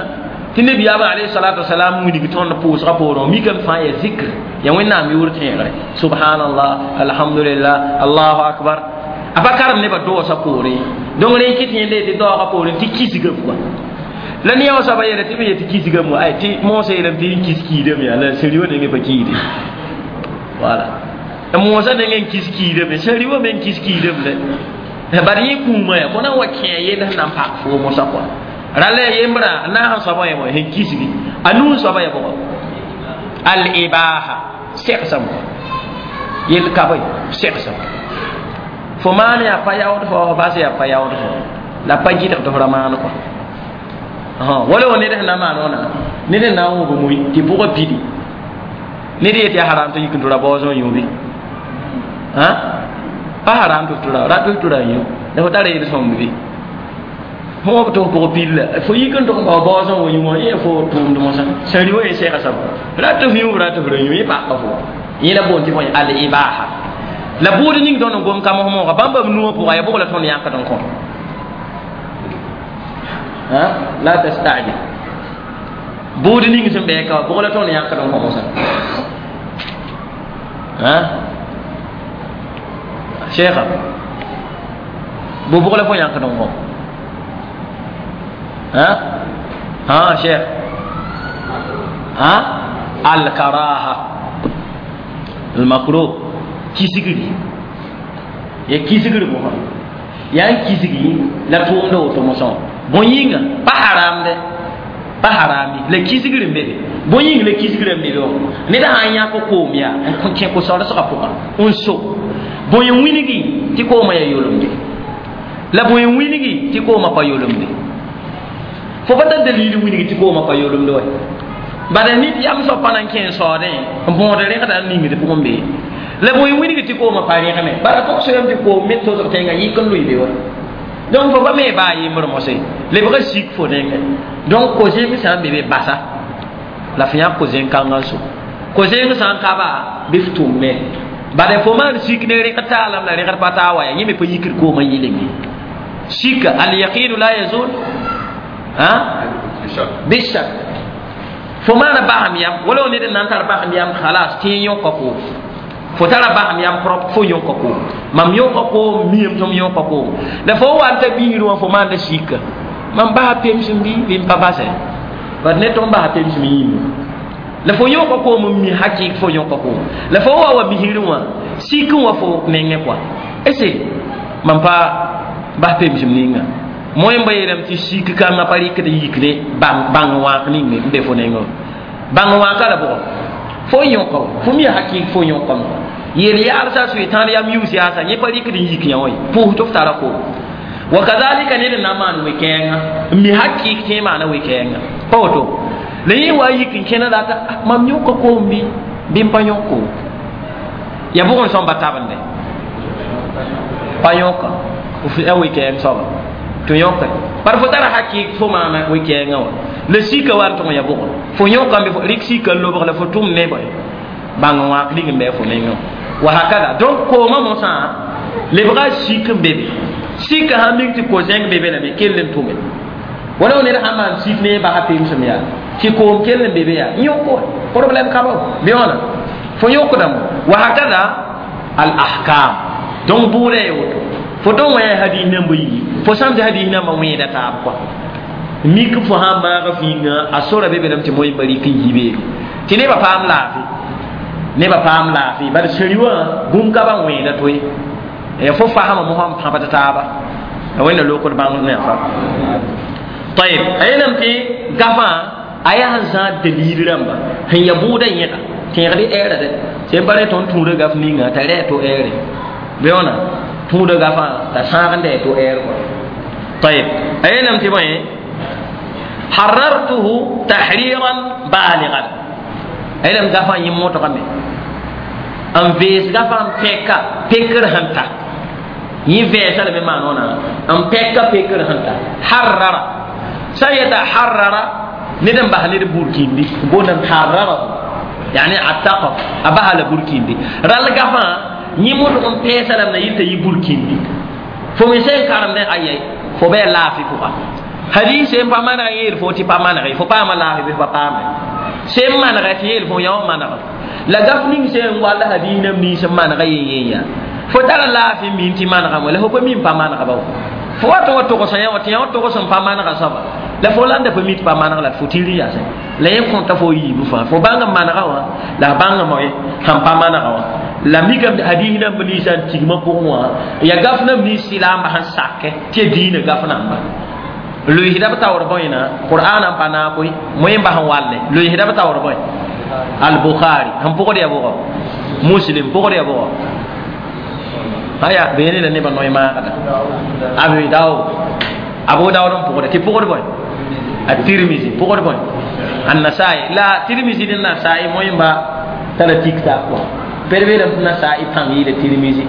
tɩ nabiyaamã alayhi salatu wasalam wilg tõnd pʋʋsgã poorẽ mikame fãa yaa zikr yaa wẽnnaam yʋʋr tẽegre subhanallah alhamdulillah allahu akbar a pa karem nebã doosã poorẽ donc rẽ kɩ tɩ yẽnda yetɩ daoogã poorẽ tɩ kisgame kɔa la ne wã soaba yeela tɩ b yetɩ kisgame wa ay tɩ moosã yeelame tɩ n kis kiidame yaa la sẽn-rɩwã nengẽ pa kiide wala moosã nengẽ n kis kiidame sẽn-rɩwã me n kis kiidame la bad yẽ kũumã yaa fo na n wa kẽ a yell sẽn na n pak foo mosã kɔa rala ya yembra na sẽn soabã ya bõe sẽn kisgi a nuu n soabã ya bʋgɔ al ibaha segsame yell ka bõe segsame fo maan yaa pa yaood fo fo bas yaa pa yaood fo la pa gɩdg tɩ fo ra maan kɔa wala wa ned sẽn na n maan wãna ned n na n wʋb mui tɩ pʋgã pidi ned yet yaa haram tɩ yik n tʋra baoosẽ yũ bɩ pa haram tɩ f tʋra rat tɩ f tʋra yũ la fo tara yel-sõmd bɩ fo b tɩ f pʋgã pid la fo yik n tʋg n bao baoosẽ wa yũ wã yẽ fo tʋʋmd mosã sẽn rɩ wã yẽ sɛga soaba rat tɩ f yũ rat tɩ f ra yũ yẽ paka fo yẽ la boond tɩ bõe al ibaha la buud ning tõnd n gom ka mos mooga bãmba b nuwã pʋga yaa bʋg la tõnd yãkd n kõ la tastajil buud ning sẽn bɛɛ ka wa bʋg la tõnd yãkd n kõ mosã cheikha bo bʋg la fo yãkd n kõ Ha cheikh ha al karaha al makruh kisigri ya kisigri mo ya kisigi la tʋʋmda woto mosã bõe yĩnga pa haramde pa harami la kisgr n be be bõe yĩng la kisgr n be be wã ned sã n yãk koom yaa n kẽ ko-saoolsgã pʋgã n so bõe n wilgi tɩ koomã yaa yolemde la bõe n wilgi tɩ koomã pa yolemde fo pa tar dalil wilgi tɩ koomã pa yolemde wa bala nit yam soab pa na n kẽ n saoodẽ n bõod rẽgda n ningd pʋgẽ be la bõe n wilgi tɩ koomã pa rẽgme bala tog soyame tɩ koom me tosg tẽngã yik n lʋɩ be wa donc fo pa me baa yembr mosẽ lebga sik fo nengẽ donc ko-zẽng sã n be be basa la fo yãk ko-zẽng kãngã n so ko-zẽng sã n ka ba bɩ f tʋmme bala fo maan sik ne rẽgd taalame la rẽgd pa taa wa ya yẽ me pa yikd koomã yɩlenge sika al yaqinu la yazul ha bishak fo maana basem yam wala ned n na n tar basem yam khalas tɩ yõka koom fo tara basem yam prop fo yõka koom mam yõka koom miyame tɩ m yõka koom la fo wa n ta biisd wã fo maanda sika mam basa pemsem bɩ bɩ n pa basɛ bat ne tɩ m basa pemsem yĩmbe la fo yõka koom n mi hakɩk fo yõka koom la fo wa wa misrẽ wã sik n wa fo nengẽ kɔa ese mam pa bas pemsem ninga moẽ ba yeelame tɩ sik kãngã pa rɩkd yikde bãng wãak ning n be fo nengẽ bãng wãaka la bʋgɔ fo yõka fo mi hakɩk fo yõkame yel yaalsa soetãan yam yʋʋs yaasa yẽ pa rɩkd n yik yã wã ye pʋʋs tɩ f tara koom wa kadhalika ned n na n maan we-kɛɛngã n mi hakɩk tɩ maana we-kɛɛngã pa woto la yẽ wa yik n kẽna rata mam yõka koom bɩ bɩ n pa yõk koom ya bʋg n sõmba tabende pa yõka f a we-kɛɛng soaba tɩ yõka par fo tara hakɩk fo maana we-kɛɛngã wã la sika wa n tʋg ya bʋgɔ fo yõkame rɩk sika n lobg la fo tʋm ne bõe bãng wãak ning n bɩ fo nengã wa hakada donc koomã mosã lebga sik n be be sika sãn ming tɩ ko-zẽng be be lame kell n tʋme wala ned sãn maan sik ne basa pemsem yaa tɩ koom kell n be be yaa yõk problème ka ba bɩ wãna fo yõkdame wa hakada al ahkam donc bʋʋda ya woto fo tõn wã yaa hadis namba yi fo sãm tɩ hadis nambã wẽeda taab kɔa mik fo sãn maaga fĩinga a sora be belame tɩ moẽmba rɩk n yi beene tɩ nebã paam laafɩ nebã paam laafɩ bala sẽri wã bũmb ka ba wẽeda to-ye ya fo fasma mosã n pãbd taaba a wẽnna lokd bãng ne fa tayeb a yeelame tɩ gafã a yaa sẽn zãad dalil rãmba sẽn ya bʋʋda yẽga tẽegd ɛɛra dɛ sẽn pa rẽ tõnd tũuda gaf ninga t'a rɛ to ɛɛre bɩ wãna tũuda gafã t'a sãagenda to ɛɛr kɔa tayeb a yeelame tɩ bõe harartuhu tahriran baaligan a yeelame gafã yẽ modgame n vees gafã n pɛka pekr sẽn ta yẽ vɛɛsa lame maan wãna n pɛka pekr sẽn ta harrara sã n yeta harrara ned n bas ned burkindi boondame harrarahu yani ataqaf a basa la burkindi rall gafã yẽ modg n pɛɛsa lame na yɩl t'a yɩ burkindi fo me sẽn karemdẽ ayɛy fo bɩ a laafɩ pʋga hadis n pa maneg yeel fo tɩ pa manege fo paama laafɩ bɩ pa paame sẽn manegɛ tɩ yeel fo yã wã manega la gaf ning sẽn wall hadis nam nins n manega yen yen yaa fo tara laafɩ min tɩ manegame la fo pa min pa manega ba fo wa tɩ wa togsã yã wã tɩ yã wã togs n pa manega soaba la fo landa pa mi tɩ pa maneg la fo tɩr yaasẽ la yẽ kõta fo yiibu fãa fo bãng n manega wã la a bãng moe sãn pa manega wã la mikame hadis namba ninsã n tigmã pʋgẽ wã ya gaf nam nins sɩlaamba sẽn sakɛ tɩ ya diinã gaf namba loeesda b taoor bõena qur'an n pa naag koe moẽmba sẽn walle loeesda b taoor bõe al-bukhari sẽn pʋgd ya bʋgɔ muslim pʋgd ya bʋgɔ aya beene la nebã noe maagda abu daud abu daud n pʋgda tɩ pʋgd bõe a tirmisi pʋgd bõe an-nasai la tirmisi ne nasai moẽmba tara tik taab kɔa ped beelame tɩ nasai pãng yɩɩda tirmisi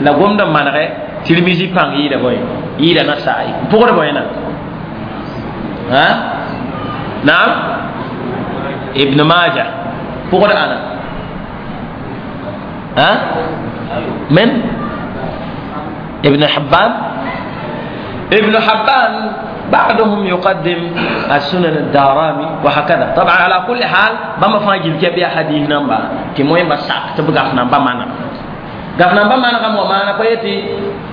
la gomd n manegɛ tirmisi pãng yɩɩda bõe yɩɩda nasai pʋgd bõe na ha naam ibn majah pʋgd ãna ha من ابن حبان ابن حبان بعضهم يقدم السنن الدارمي وهكذا طبعا على كل حال بما فاجل كبي حديث نمبا تي موين بساك تبغى نمبا مانا gaf namba manegame wa maana pa yetɩ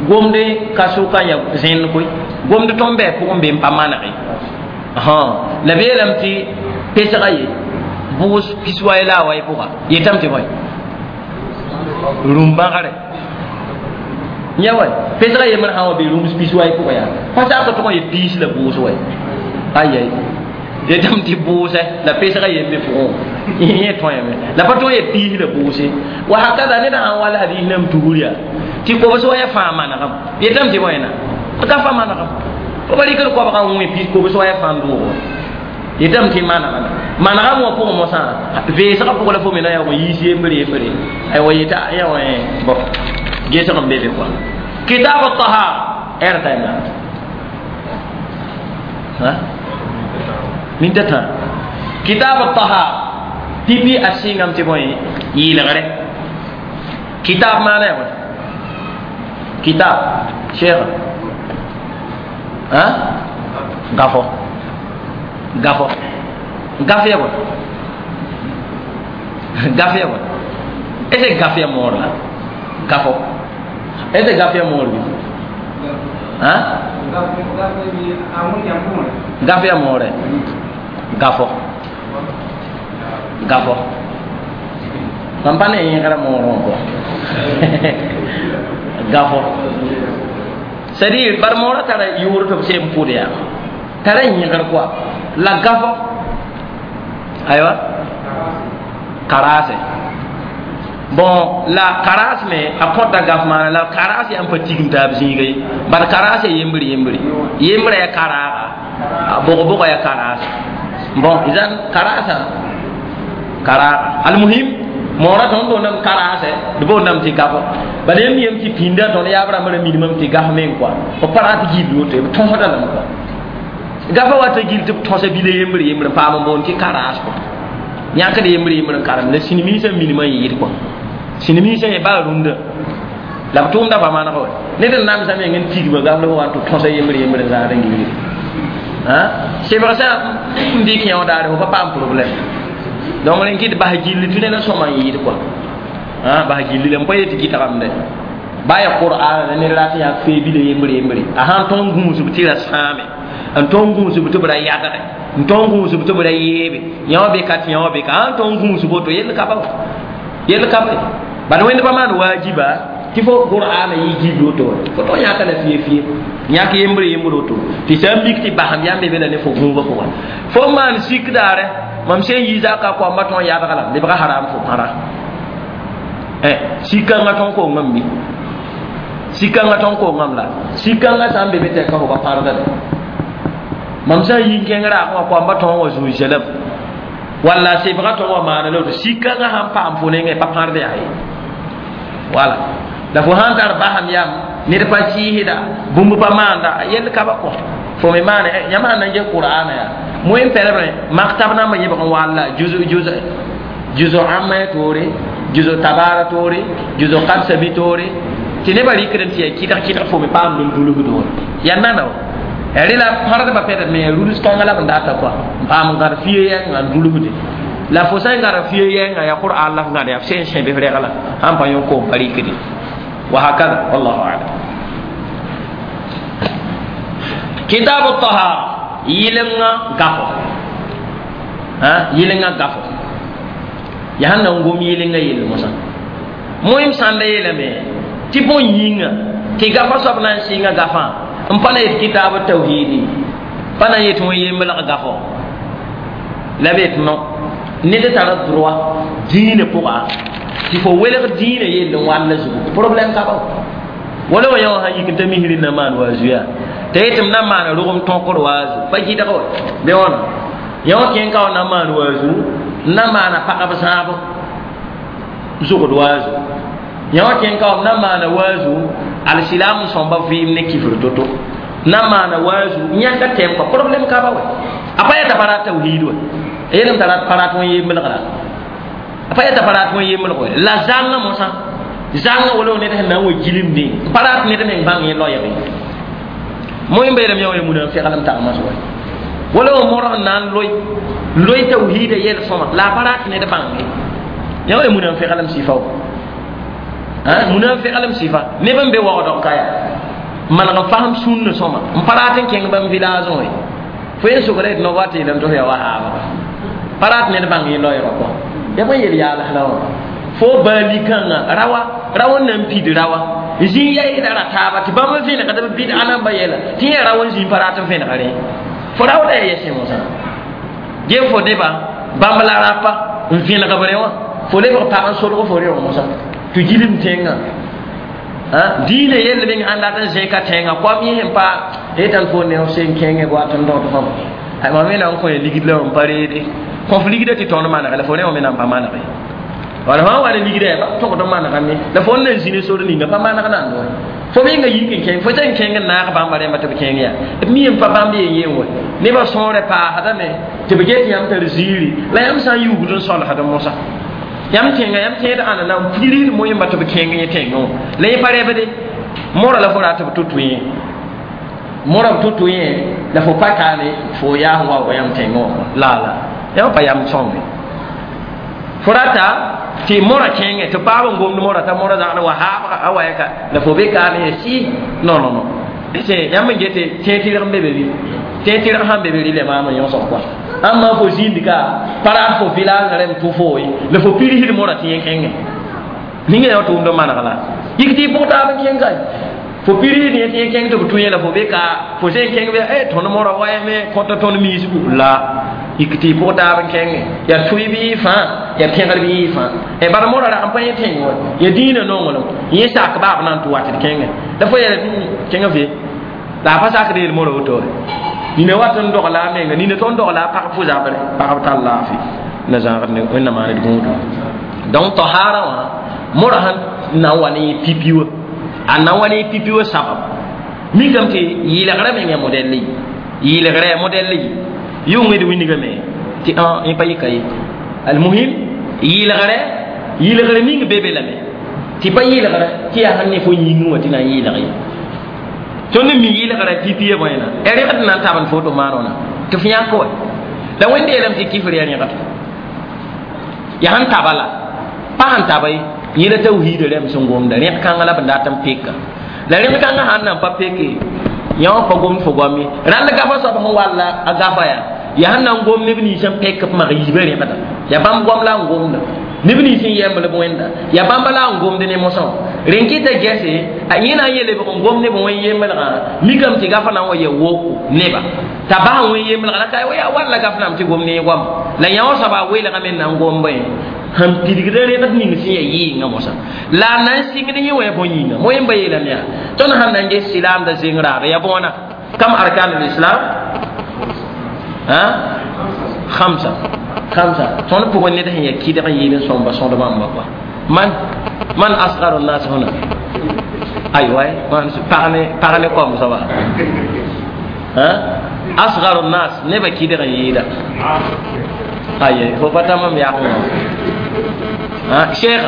gomde ka sʋka ya zẽnd koe gomd tõnd bɩ pʋgẽ be n pa manege La beelame tɩ pesga ye bʋʋs pis-wai la a wai pʋga yetame tɩ bõe rũm-bãgre yã wa pesga yembr sã n wa be rũms pis-wai pʋgã yaa pa sak tʋg n yet piis la bʋʋs wa ayai yetame tɩ bʋʋsɛ la pesga yembe pʋgẽ yẽ tõeme la pa tõe n yet piis la bʋʋse wa hakada ned sã n wall hadiis nam tugr yaa tɩ kobs wa ya fãa manegem yetame tɩ bõena ka fa manegem fo pa rɩkd koabgã n wẽ piis kobs wa ya fãa n doog yetame tɩ manegame manegam wã pʋgẽ mosã veesgã pʋgã la fo me na yaa yiis yembre yembre aywa yeta ya wã bon gesg n be be kɔa kitab tahara ɛr taima ha min tã kitab tahara pipi a sɩngame tɩ bõe yɩɩlgre kitab maana ya bõe kitab cheikh ha gafo gafo gaf ya bõe gaf ya bõe est ce que gaf ya moor la gafo est ce que gaf ya moor bi ha gaf ya moore gafo gafo mam pa ne yẽgra moorẽ kɔ gafo c'est à dire bar moorã tara yʋʋr tɩ b seen pʋd yaa tara yẽgr kɔa la gafo aywa karaase bon la karaas me a kõta gaf maana la karaas yaa n pa tigim taab zĩiga ye bad karaas ya yembre yembre yembrã ya karaaga a bʋg-bʋga ya karaas bon izan karaasã karaaga almuhim moorã tõnd boondame karaasɛ d boondame tɩ gafo bad yem yem tɩ pĩndã tõnd yaab rãmb ra minimame tɩ gaf meng kɔa b pa rat gill woto b tõsda lame kɔa gafa wata gill tɩ b tõsa bila yembre yembre n paam n boond tɩ karaas kɔa yãkd yembre yembre n karem la sĩnimiisã minimã n yɩɩd kɔa sĩnimiisã yẽ baa rũndã la b tʋʋmda pa maneg wa ned n namsã meng n tigma gaf la wa n tɩ tõsa yembre yembre n zãad n gilgde sebg sã n dɩk yã wã daare fo pa paam problème donc rẽn kɩt bas gilli tɩ ned n sõma n yɩɩd kɔa bas gilli la n pa yet gɩtgamde ba ya qur'an la ned rat yaa fee bila yembre yembre a sãn tõnd gũusb tɩ ra sãame n tõnd gũusb tɩ b ra yadge n tõnd gũusb tɩ b ra yeebe yã wã be ka tɩ yã wã be ka sãn tõnd gũusb woto yell ka ba yell ka ba bad wẽnd pa maan waajiba tɩ fo qur'ana yɩ gil woto fo tõn yãka la fie fie yãk yembre yembre woto tɩ sã n mik tɩ basem yãmb be la ne fo gũubã pʋgã fo maan sik daare mam sẽn yi zaka koamba tõn yadga la lebga haram fo pãra sikãngã tõn kongame bi sikãngã tõn kongame la sikãngã sã n be be tɛka fo pa pãrda de mam sã n yi n kẽng raag wã koamba tõn wa zũi-sɛlem walla sebga tõn wa maana la woto sikãngã sãn paam fo nengẽ pa pãrd yaa ye wala la fo sãn tar basam yam ned pa sɩɩsda bũmb pa maanda yell ka ba kɔ fo me maana yãmb sãn na n ges qur'ana yaa moyen pɛlbrẽ maktab nambã yẽbg n walla juzo ãmba ya toore juzo tabara toore juzo kadsabi toore tɩ nebã rɩkd n tɩ yaa kɩdg kɩdg fo me paamd n dulsd wã yaa nana wa rela pãrdbã pɛdd me yaa ruls kãngã la b n data kɔa n paam n gãd fie yɛnga n dulsde la fo sã n gãd fie yɛnga yaa qur'an la f gãd yaa f sẽn sẽb f regla sãn pa yõ koom pa rɩkde wa hakada wallahu alam kitab tahara yɩlenga gafo ha yɩlenga gafo yaa sẽn na n gom yɩlenga yell mosã moem sãnda yeelame tɩ bõn yĩnga tɩ gafa soab na n sɩnga gafã n pa na yet kitaab tawhidi pa na n yet wẽ yembelg gafo la b yet no ned tara droit dĩinã pʋga tɩ fo welg dĩinã yell n wall zugu problème ka ba wala wa yã wã sãn yik n ta misri na maan wa zuya t'a yetɩ m na n maana rogem tõkr waazu pa gɩdg wa bɩ wãna yã wã kẽng ka wa na n maan waazu n na maana pagb zãabo zʋgd waazu yã wã kẽng ka wa m na maana waazu alsilam sõmba vɩɩm ne kifr to-to na maana waazu yãka tɛm kɔ problème ka ba wa a pa yeta pa rat tawhid wa a yeelame t'a rat pa rat wẽn yembelgra a pa yeta pa rat wẽn yembelg wa la zãngã mosã zãngã wala ned sẽn na n wa gilmdẽ pa rat ned meng bãng yẽ loɛɛge moẽ beelame yã wa ya munafɩglem tagmã sʋga wala wa morg n na n loe loe tawhiida yɛl sõma la a pa rat ned bãnge yã wa ya munafɩglem sɩfa wa munafɩglem sɩfa neb n be waoodg ka yaa maneg n fasem sũnna sõma n pa rat n kẽng bãmb village wã Fo yẽ sʋgra d no wa tɩ yeelame tɩ f yaa wa haabga pa rat ned bãng yẽ loɛɛgã pʋgã ya bõe yel yaals la wã fo baa-likãngã rawa rawa n na n pid rawa zĩ yaɩda ra taaba tɩ bãmb n vẽnegd b bɩd-a namba yɛla tɩ yẽ rawa n zĩ pa rat n vẽnega rẽ fo raooda yaa yɛsẽ mosã gem fo nebã bãmb la rapa n vẽneg b rẽ wã fo lebg pag n solg fo reoog mosã tɩ gilem tẽngã diinã yell meng sãn dat n zẽka tẽngã koam yẽ sẽn pa yetãn fo ne f sen kẽngẽ wat n dõd fãm mam me na n kõ ligd la n pa reede kõf ligda tɩ tõnd manege la fo rẽ wã me na n pa manege wala fãa wa ne ligda yaa togd n manegame la fo n na n zĩ ne sor ninga pa maneg nan wa fo menga yik n kẽng fo sẽn kẽng n naag bãmba rẽmba tɩ b kẽng yaa b mi n pa bãmb yen yen wa nebã sõore paasdame tɩ b get yãmb tar ziiri la yãmb sã n yuugd n solsd mosã yãmb tẽnga yãmb tẽed ãnda na n pirid moẽmba tɩ b kẽng yẽ tẽngẽ wã la yẽ pa rɛbde mora la fo rat b tʋ-tʋ yẽ mora b tʋ-tʋ yẽ la fo pa kaane fo yaas n wa wa yãmb tẽngẽ wã la la yãmb pa yam sõnge fo rata tɩ mora kẽngẽ tɩ paab n gomd mora t'a mora zagd wa haabga a wa yɛka la fo be kaane ye sɩ non non non yãmb n gete tẽeg tɩrg n be be rɩ tẽeg tɩrg sãn be be rɩ le maam n yõsg kɔa ãmb fo zĩnd ka pa rat fo village rẽm tʋ fo ye la fo pirsd mora tɩ yẽ kẽngẽ ninga yã tʋʋmd n maneg la yik tɩ y pʋg taab n kẽng ka fo pirsd yẽ tɩ yẽ kẽng tɩ b tũ yẽ la fo be ka fo sẽn kẽng be e tõnd mora wayame kõta tõnd miisgu la yik tɩ y pʋg taab n kẽngẽ yaa tʋɩ bɩ y fãa yaa pẽgr bɩ y fãa e bala mora rag n pa yẽ tẽng wa ya dĩinã nonglem yẽ sak baab na n tɩ wat d kẽngẽ la fo yɛla kẽngã fe la a pa sakd yel mora woto nina wat n dogla a menga nina tõnd dogla a pag fo zabre pagb tar laafɩ na zãagd ne wẽnnaam maaned gũudu donc tahara wã mora sẽn na n wa ne pipi wã a na n wa ne pipi wã sabab mikame tɩ yɩlgrã meng yaa modɛl ye yɩlgrã yaa modɛl ye yʋng d wingame tɩ yẽ pa yɩka ye almuhim yɩlgrɛ yɩlgr ning be be lame tɩ pa yɩlgrã tɩ yaa sẽn ne fo yĩngẽ wã tɩ na n yɩlg ye tõnd mi yɩlgrã pipi ya bõena ya rẽgd na n tabend foto maanona tɩ f yãk wa la wẽnde yeelame tɩ kifr yaa rẽgd yaa sẽn taba la pa sẽn taba ye yẽ la tawhiida rẽmb sẽn gomda rẽg kãngã la b dat n peka la rẽg kãngã sãn na n pa peke yã wã pa gomd fo goam ye rãnd gafa soab sẽn walla a gafa yaa yaa sẽn na n gom neb nins n pek b mag yiibã rẽgda yaa bãmb goam la n gomda neb nins n yɛmb b wẽnda yaa bãmba la n gomd ne mosã rẽn kɩta gɛse a yẽ na n yeele b n gom neb wẽn yemblgã mikame tɩ gafa na n wa ya woko neba t'a bas wẽn yemblgã la ka yaa walla gaf nam tɩ gom ne goam la yã wã soaba a weelgame n na n gomba ye sẽn pidgd rẽgd ning sẽn yaa yɩɩngã mosã la a na n sɩngd yẽ wã ya bõe yĩnga moẽmba yeelame yaa tõnd sãn na n ges silaamda zeng raaba yaa bõona kam arkan lislam khamsa khamsa tõnd pʋgẽ ned sẽn yaa kɩdg n yɩɩd n sõmba sõd bãmba kɔa man man asgaru nnas huna aywa man pag ne kom soaba asgaru nnas nebã kɩdg n yɩɩda aye fo pa tãmam yak wã cheikh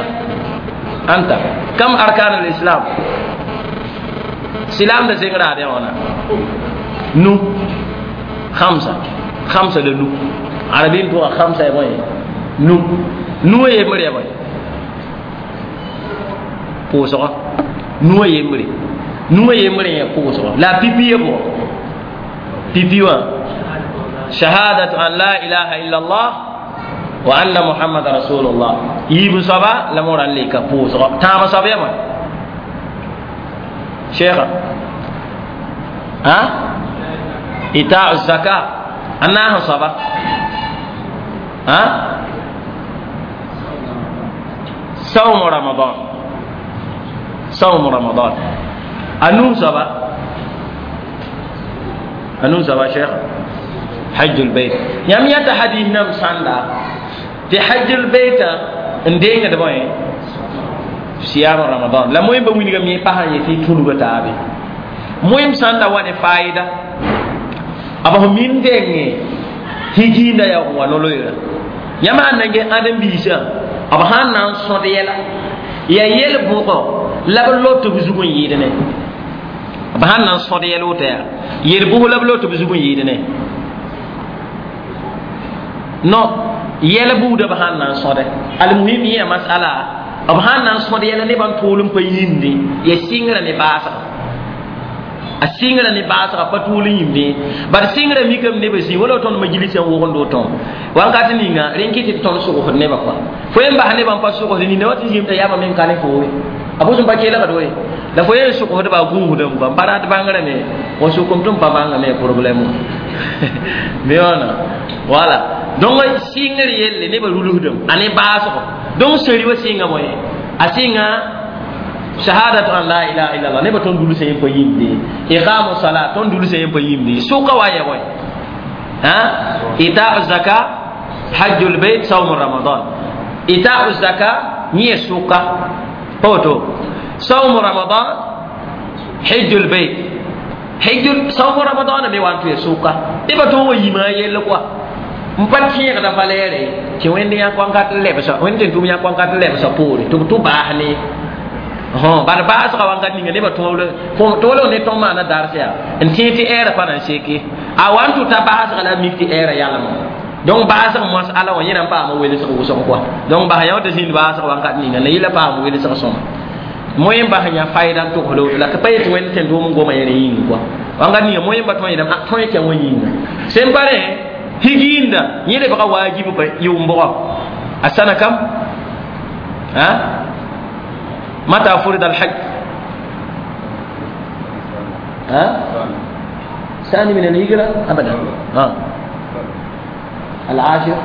anta kam arkan lislam silam da zeng raad wãna nu khamsa khamsa la nu arabin tʋga khamsa ya bõe nu nu yembre ya bõe pʋʋsgɔ nu yembre nu yembre ya pʋʋsgɔ la pipi ya bʋgɔ pipi wã shahadatu an la ilaha illa allah wa anna muhammad rasulullah yiib soaba la mora n leka pʋʋsgɔ tãabã soab ya bõe cheikha ha itau zaka a naas soaba ha sawmu ramadan sawmu ramadan a nuu soaba a nuu soaba cheikha hajjul bait yãmb yãta hadis nam sãnda tɩ hajjul baita n dengd bõe siyam ramadan la moẽmba wilgame yẽ pa sã n yetɩ tũnuga taabe moẽm sãn da wa ne faɩda b f min denge tɩ jiinda yaa wa noloeera yãmb sãn na n ges ãdem-biisã b sãn na n sõd yɛla yaa yel bʋgɔ la b lot b zug n yɩɩd ne b sãn na n sõd yɛl woto yaa yel bʋs la b lot b zug n yɩɩd ne non yɛl buuda b sãn na n sõde almuhim yẽ masala b sãn na n sõd yɛla nebã n tool n pa yĩnde ya sɩngrã ne baasga A sɩngrã ne baasga pa tuul n yĩmde bad sɩngrã mikame nebã zĩ wala tõnd majlis n wogend woto wakat ninga rẽn kɩ tɩ tõnd sogsd nebã kɔa fo yen bas nebã n pa sogsd nina wa tɩ zĩm t'a yaabã meng ka ne fo ye a bʋsem pa keelgd we la fo yen sogsdba a gũusdame kɔa n pa rat bãngrame wa sokem tɩ n pa bãngame problème me wãna wala donc sɩngr yelle nebã rulsdame a ne baasgo donc seri wa sɩnga moe a sɩnga shahadatu an la ilaha illallah nebã tõnd dulsã yẽ pa yĩmde iqamu salat tõnd dulsã yẽ pa yĩmde sʋka wa yɛ bõe ha itau zaka hajjul beit sawmu ramadan itau zaka yẽ sʋka pa woto sawmu ramadan hijjul beit hijjul sawmu ramadan me wan tɩ ya sʋka nebã tõnd wa yĩma a yell kɔa n pa tẽegda valɛɛre tɩ wẽnd yã kõnkat lebsa wẽnd tɩ tʋm yã kõnkat lebsa poore tɩ b tʋ baas ne bad baasga wakat ninga nebã tõog ne tõnd maana dars yaa n tẽeg tɩ ɛɛrã pa na n seke a wa n tʋ t'a baasga la a mik tɩ ɛɛrã yalma donc baasg moas ala wã yẽ na n paama welsg wʋsg kɔa donc bas yã tɩ zĩnd baasg wakat ninga la yɩla paam welsg sõma moẽ n bas yã fayda n togsd woto la tɩ pa yet wẽnd tẽn tʋʋm n goma yẽra yĩng kɔa wakat ninga moẽ pa tõe yeelame tõe kẽ wã yĩnga sẽn pa rẽ higiinda yẽ lebga waajib pa yʋʋm bʋgɔ a sana kam a متى فرض الحج؟ ها؟ ثاني من الهجرة؟ أبدا. ها؟ العاشر؟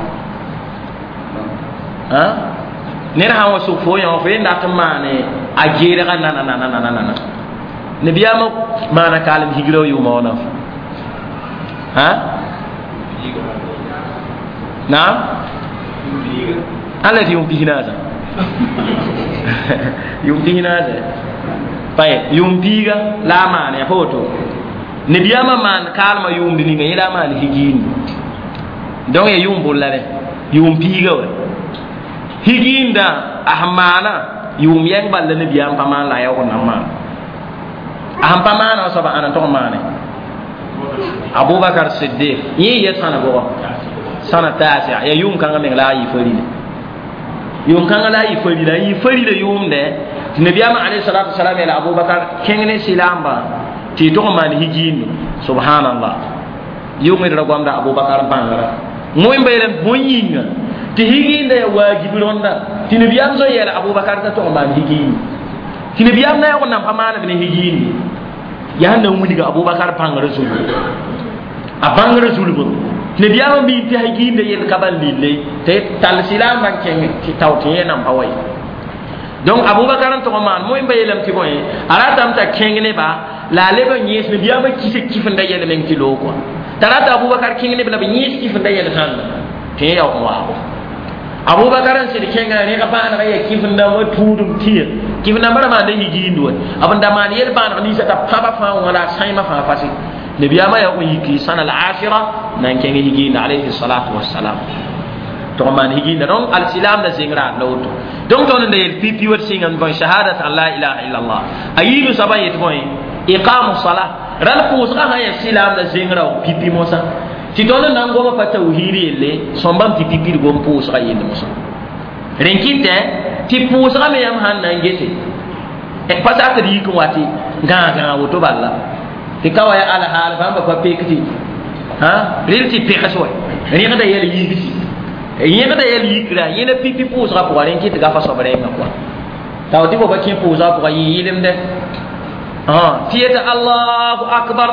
ها؟ نرها وسوفو يوم فين داتماني أجيرا نا نا نا نا نا نا نا نبي أما ما نكالم هجرة يوم وانا ها؟ نعم؟ التي يوم بهنازا yʋʋm pisnaase طيب yʋʋm piiga la a maan ya pa woto nabiyaamã maan kaalmã yʋʋmd ninga yẽ la a maan higiinde donc ya yʋʋm bʋl la rẽ yʋʋm piiga wa higiindã a sẽn maana yʋʋm yɛng bal la nabiyaam pa maan la a yaoog n na n maan a sẽn pa maana wã soaba ãna n tog n maane Abubakar Siddiq yẽ yɛ sãna bʋgɔ sãna taasea ya yʋʋm kãngã meng la a yɩ farila yʋʋm kãngã la a yɩ farila a yɩ farila yʋʋmdɛ tɩ nabiyaamã alayhi salatu wasalam yeela Abubakar kẽng ne silaambã tɩ y tog n maan higiinde subhanallah yʋngd ra goamda Abubakar bãngrã moẽmba yeelame bõe yĩnga tɩ higiindã yaa waajib rõnda tɩ nabiyaam zoe yeela Abubakar t'a tog n maan higiinde tɩ nabiyaam na yaoog n nan pa maaneb ne higiinde yaa sẽn na n wilga Abubakar bãngrã zulbu a bãngrã zulbu nabiyaamã mi tɩ higiindã yell ka ban lille tɩ tall silaambã n kẽng tɩ tao tɩ yẽ nan pa wa ye donc Abubakar n tog n maan moẽmba yeelame tɩ bõe a ratame t'a kẽng neba la a leb n yẽes nabiyaamã kisa kifenda yɛl meng tɩ loog kɔa t'a rata Abubakar kẽng neb la b yẽes kifenda yɛl sãnda tɩ yẽ yaoog n waago Abubakar n sɩd kẽnga rẽg bãanega yaa kifenda wa tũudum tɩya kifendãmbã ra maanda higiind wa b n da maan yel bãaneg ninsã t'a pãba fãa wã la a sãimã fãa fase nabiyaamã yaoog n yiki sãna al ashira na n kẽng higiinda alayhi salatu wassalam tɩg n maan higiinda donc alsilam la zeng raad la woto donc tõnd n da yel pipi wat sɩnga n bõe shahadat an la ilaha illallah a yiibu soaba n yet bõe iqamu sala rãl pʋʋsgã sã yaa silaam la zeng raoog pipi mosã tɩ tõnd n na n goma pa tawhiid yelle sõmbame tɩ pipi d gom pʋʋsgã yelle mosã rẽn kɩtɛ tɩ pʋʋsgã me yãmb sãn na n gese pa sakd yik n wa tɩ gãag-gãag woto bala tɩ ka wa ya alhaal bãmba pa pek tɩ rel tɩ pẽgs wa rẽgda yɛl yigsi yẽgda yɛl yikra yẽna pipi pʋʋsgã pʋga rẽn kɩ tɩ gafa soab rẽngã kɔa t'a tɩ fo pa kẽ pʋʋsgã pʋga yɩ yɩlemdɛ tɩ yeta allahu akbar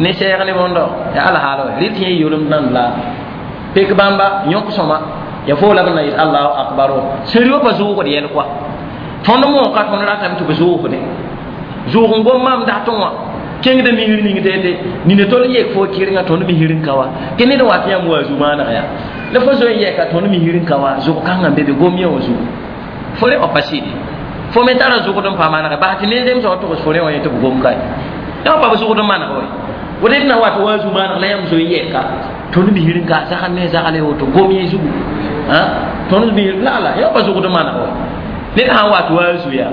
ne sɛɛg ne bõndo ya alhaal wa rel tɩ yẽ yolemd nan la pek bãmba yõk sõma ya fo la b na yet allahu akbar wa sẽri wa pa zʋʋgd yɛl kɔa tõnd mooka tõnd ratame tɩ b zʋʋgde zʋʋg n gom maam datẽ wã kẽngda misr ning tete nina tol yek fo kɩrengã tõnd misr n ka wa tɩ ned wa tɩ yãmb wa zu-maaneg yaa la fo zoe n yɛka tõnd misr n ka wa zʋg kãngã n be be gom yẽ wã zugu fo rẽ wã pa sɩde fo me tara zʋgd n pa manege bas tɩ ne zemsã wã togs fo rẽ wã yẽ tɩ b gom ka ye yã pa b zʋgd n maneg wa woto d na wat wa zu-maaneg la yãmb zoe n yɛka tõnd misr n ka zagl ne zagle woto gom yẽ zugu tõnd misr la la yã pa zʋgd n maneg wa ned sã n wat wa zu yaa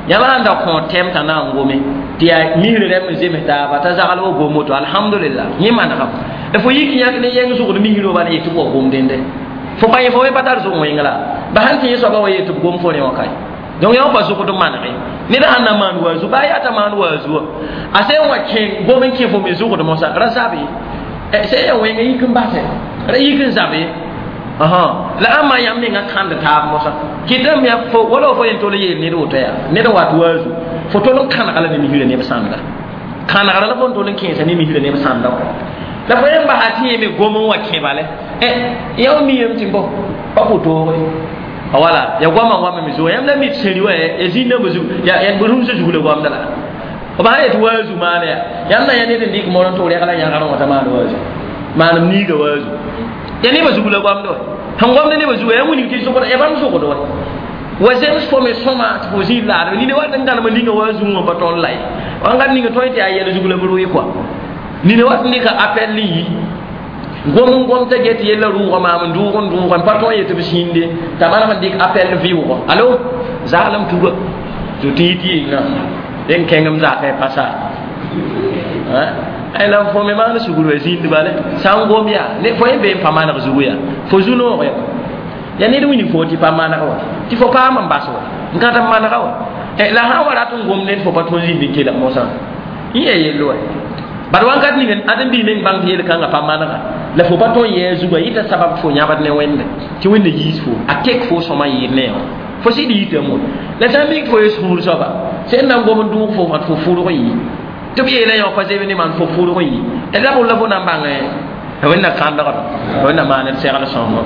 yãmb sãn da kõ tɛm t'a na n gome tɩ yaa misr rɛm n zems taaba t'a zagl wa gom woto alhamdulillah yẽ manegame la fo yik yãk ne yẽng zʋgd misr wa bala yetɩ b wa gom dẽnde fo pa yẽ fo me pa tar zʋg wẽng la ba sãn tɩ yẽ soaba wa yetɩ b gom fo rẽ wã kae donc yã pa zʋgd n manege Ned sãn na maan waazu baa yaa t'a maan waazu wã a sẽn wa kẽ gom n kẽ fo me zʋgd mosã ra zabe sẽn ya wẽnga yik n base ra yik n zabe la ãmba yãmb menga kãnd taab mosã kɩtame fo wala fo yen tol yeel ned woto yaa ned n wat waazu fo tol n kãnega la ne misrã neb sãnda kãnegra la fo n tol n kẽesa ne misrã neb sãnda wã la fo yen basa tɩ yẽ me gom n wa kẽ bale yã miyame tɩ bo pa pʋtooge wala ya goamã wame me zuga yãmb la mi tɩ sẽri wa ya zĩnd zug ya rũmsã zug la goamda la b sã yet waazu maana ya yãmb na yã ned n dɩk mor n tʋg rɛgla yãgr wã t'a maan waazu maanem niiga waazu ya nebã zug la goamda wa sẽn goamda nebã zuga yã wilg tɩ zʋgda ya bãmb zʋgd wa wa zems fo me sõma tɩ fo zĩig laadme nina wat n gãnem ninga waazu wã pa tõnd la ye wãngat ninga tõe tɩ yaa yɛl zug la b rʋɩ kɔa nina wat n dɩka appel n yi gom n gom t'a get yella rʋʋga maam n dʋʋg n dʋʋg n pa tõe yetɩ b sĩinde t'a maneg n dɩk appel vɩʋgɔ alo zaalem tuga tɩ tɩ yit yɩnga dẽn kẽngem zakã pasa la fo me maan sugr wa zĩnd bale sã n gom yaa fo yẽ bee n pa maneg zugu yaa fo zu-noog ya ya ned wilg fo tɩ pa maneg wa tɩ fo paam n bas wa n ka tɩ n manega wa la sã n wa rat n gom ned fo pa tõe zĩnd n kelg mosã n yaa yell wa bad wãnkat ning ãdem-biig meng bãng tɩ yel-kãngã pa manega la fo pa tõe n yɛɛ zugã yɩta sabab fo yãbd ne wẽnde tɩ wẽnda yiis fo a tek fo sõma yɩɩd ne wã fo sɩd yitame wa la sã n mik fo ye sũur soaba sẽn na n gom n dʋʋg fo fo fʋrg yɩ tɩ b yeela yã pa zeb ne maan fo fʋrg yɩ la b la fo na n bãng wẽnna kãndgd wẽnna maand segl sõngo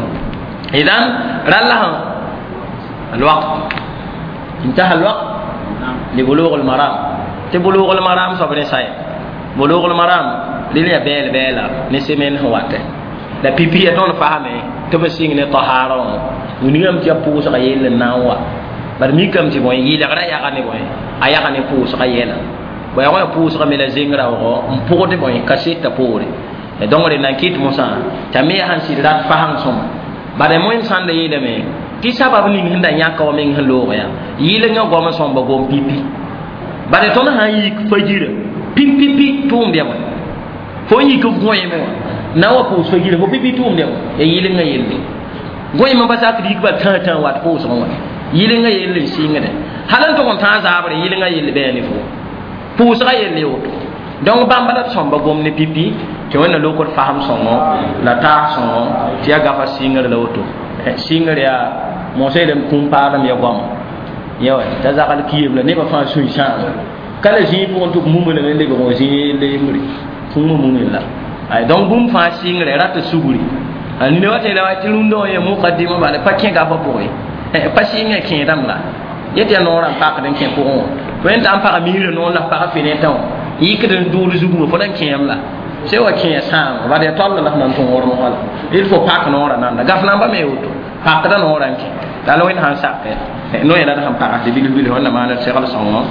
idan ralla الوقت انتهى الوقت لبلوغ المرام تبلوغ المرام soab ne saya بلوغ المرام lil ya bɛɛl bɛɛla ne semaine sẽn watɛ la pipi ya tõnd fasame tɩ b sɩng ne tahara wã wilgame tɩ ya pʋʋsga yell n na n wa bad mikame tɩ bõe yɩlgra yaga ne bõe a yaga ne pʋʋsga yɛla bõe ya pʋʋsga me la zeng raoogɔ n pʋgd bõe kaseta poore donc d na n kɩt mosã t'a me yaa sẽn sɩd rat fasãng sõma bad moẽm sãn da yeelame tɩ sabab ning sẽn da yãka wa meng sẽn loog yaa yɩlengã goam sõmba gom pipi bad tõnd sã n yik fajira pipipi tʋʋmd ya fo n yik gõeeme wã na wa pʋʋs fajira fo pipi tʋʋmd ya ya yɩlengã yelle gõeemã pa sakd yik bal tãa tãa wat pʋʋsgẽ wã yɩlengã yelle n sɩngde hal n tʋg n tãag zaabre yɩlengã yelle bɩ ne fo pʋʋsgã yelle woto donc bãmba la d sõmba gom ne pipi tɩ wẽnna lokd fasem sõngo la taas sõngo tɩ yaa gafa sɩngr la woto sɩngr yaa mosã yeelame kũum paadem ya goama ya wa t'a zagl kiim la nebã fãa sũy sãama ka la zĩig pʋgẽ tɩ b mumã lame lebg wã zĩig yelle yembre kũumã mumẽ la ay donc bũmb fãa sɩngre rat sugri a nina wa tẽeda wa tɩ rũndã wã yẽ mukadima bala pa kẽ gafa pʋgẽ pa sɩngã kẽedame la yetɩ yaa noorã n pakd n kẽ pʋgẽ wã fo yẽn t'a n pag miirã noor la pag fenetã wã yikd n dʋʋd zugmã fo na n kẽem la sẽn wa kẽ sãam bad yaa tall la f na n tõog wã la il faut pak noorã nanda gaf namba me woto pakda noorã n kẽ la la wẽnd sãn sak no yẽla d sẽn pagsd bilf bilf wẽnna maan d segl sõngo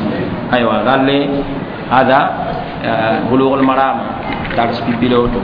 aywa ralle hada bulugh al maram dars pipi la woto.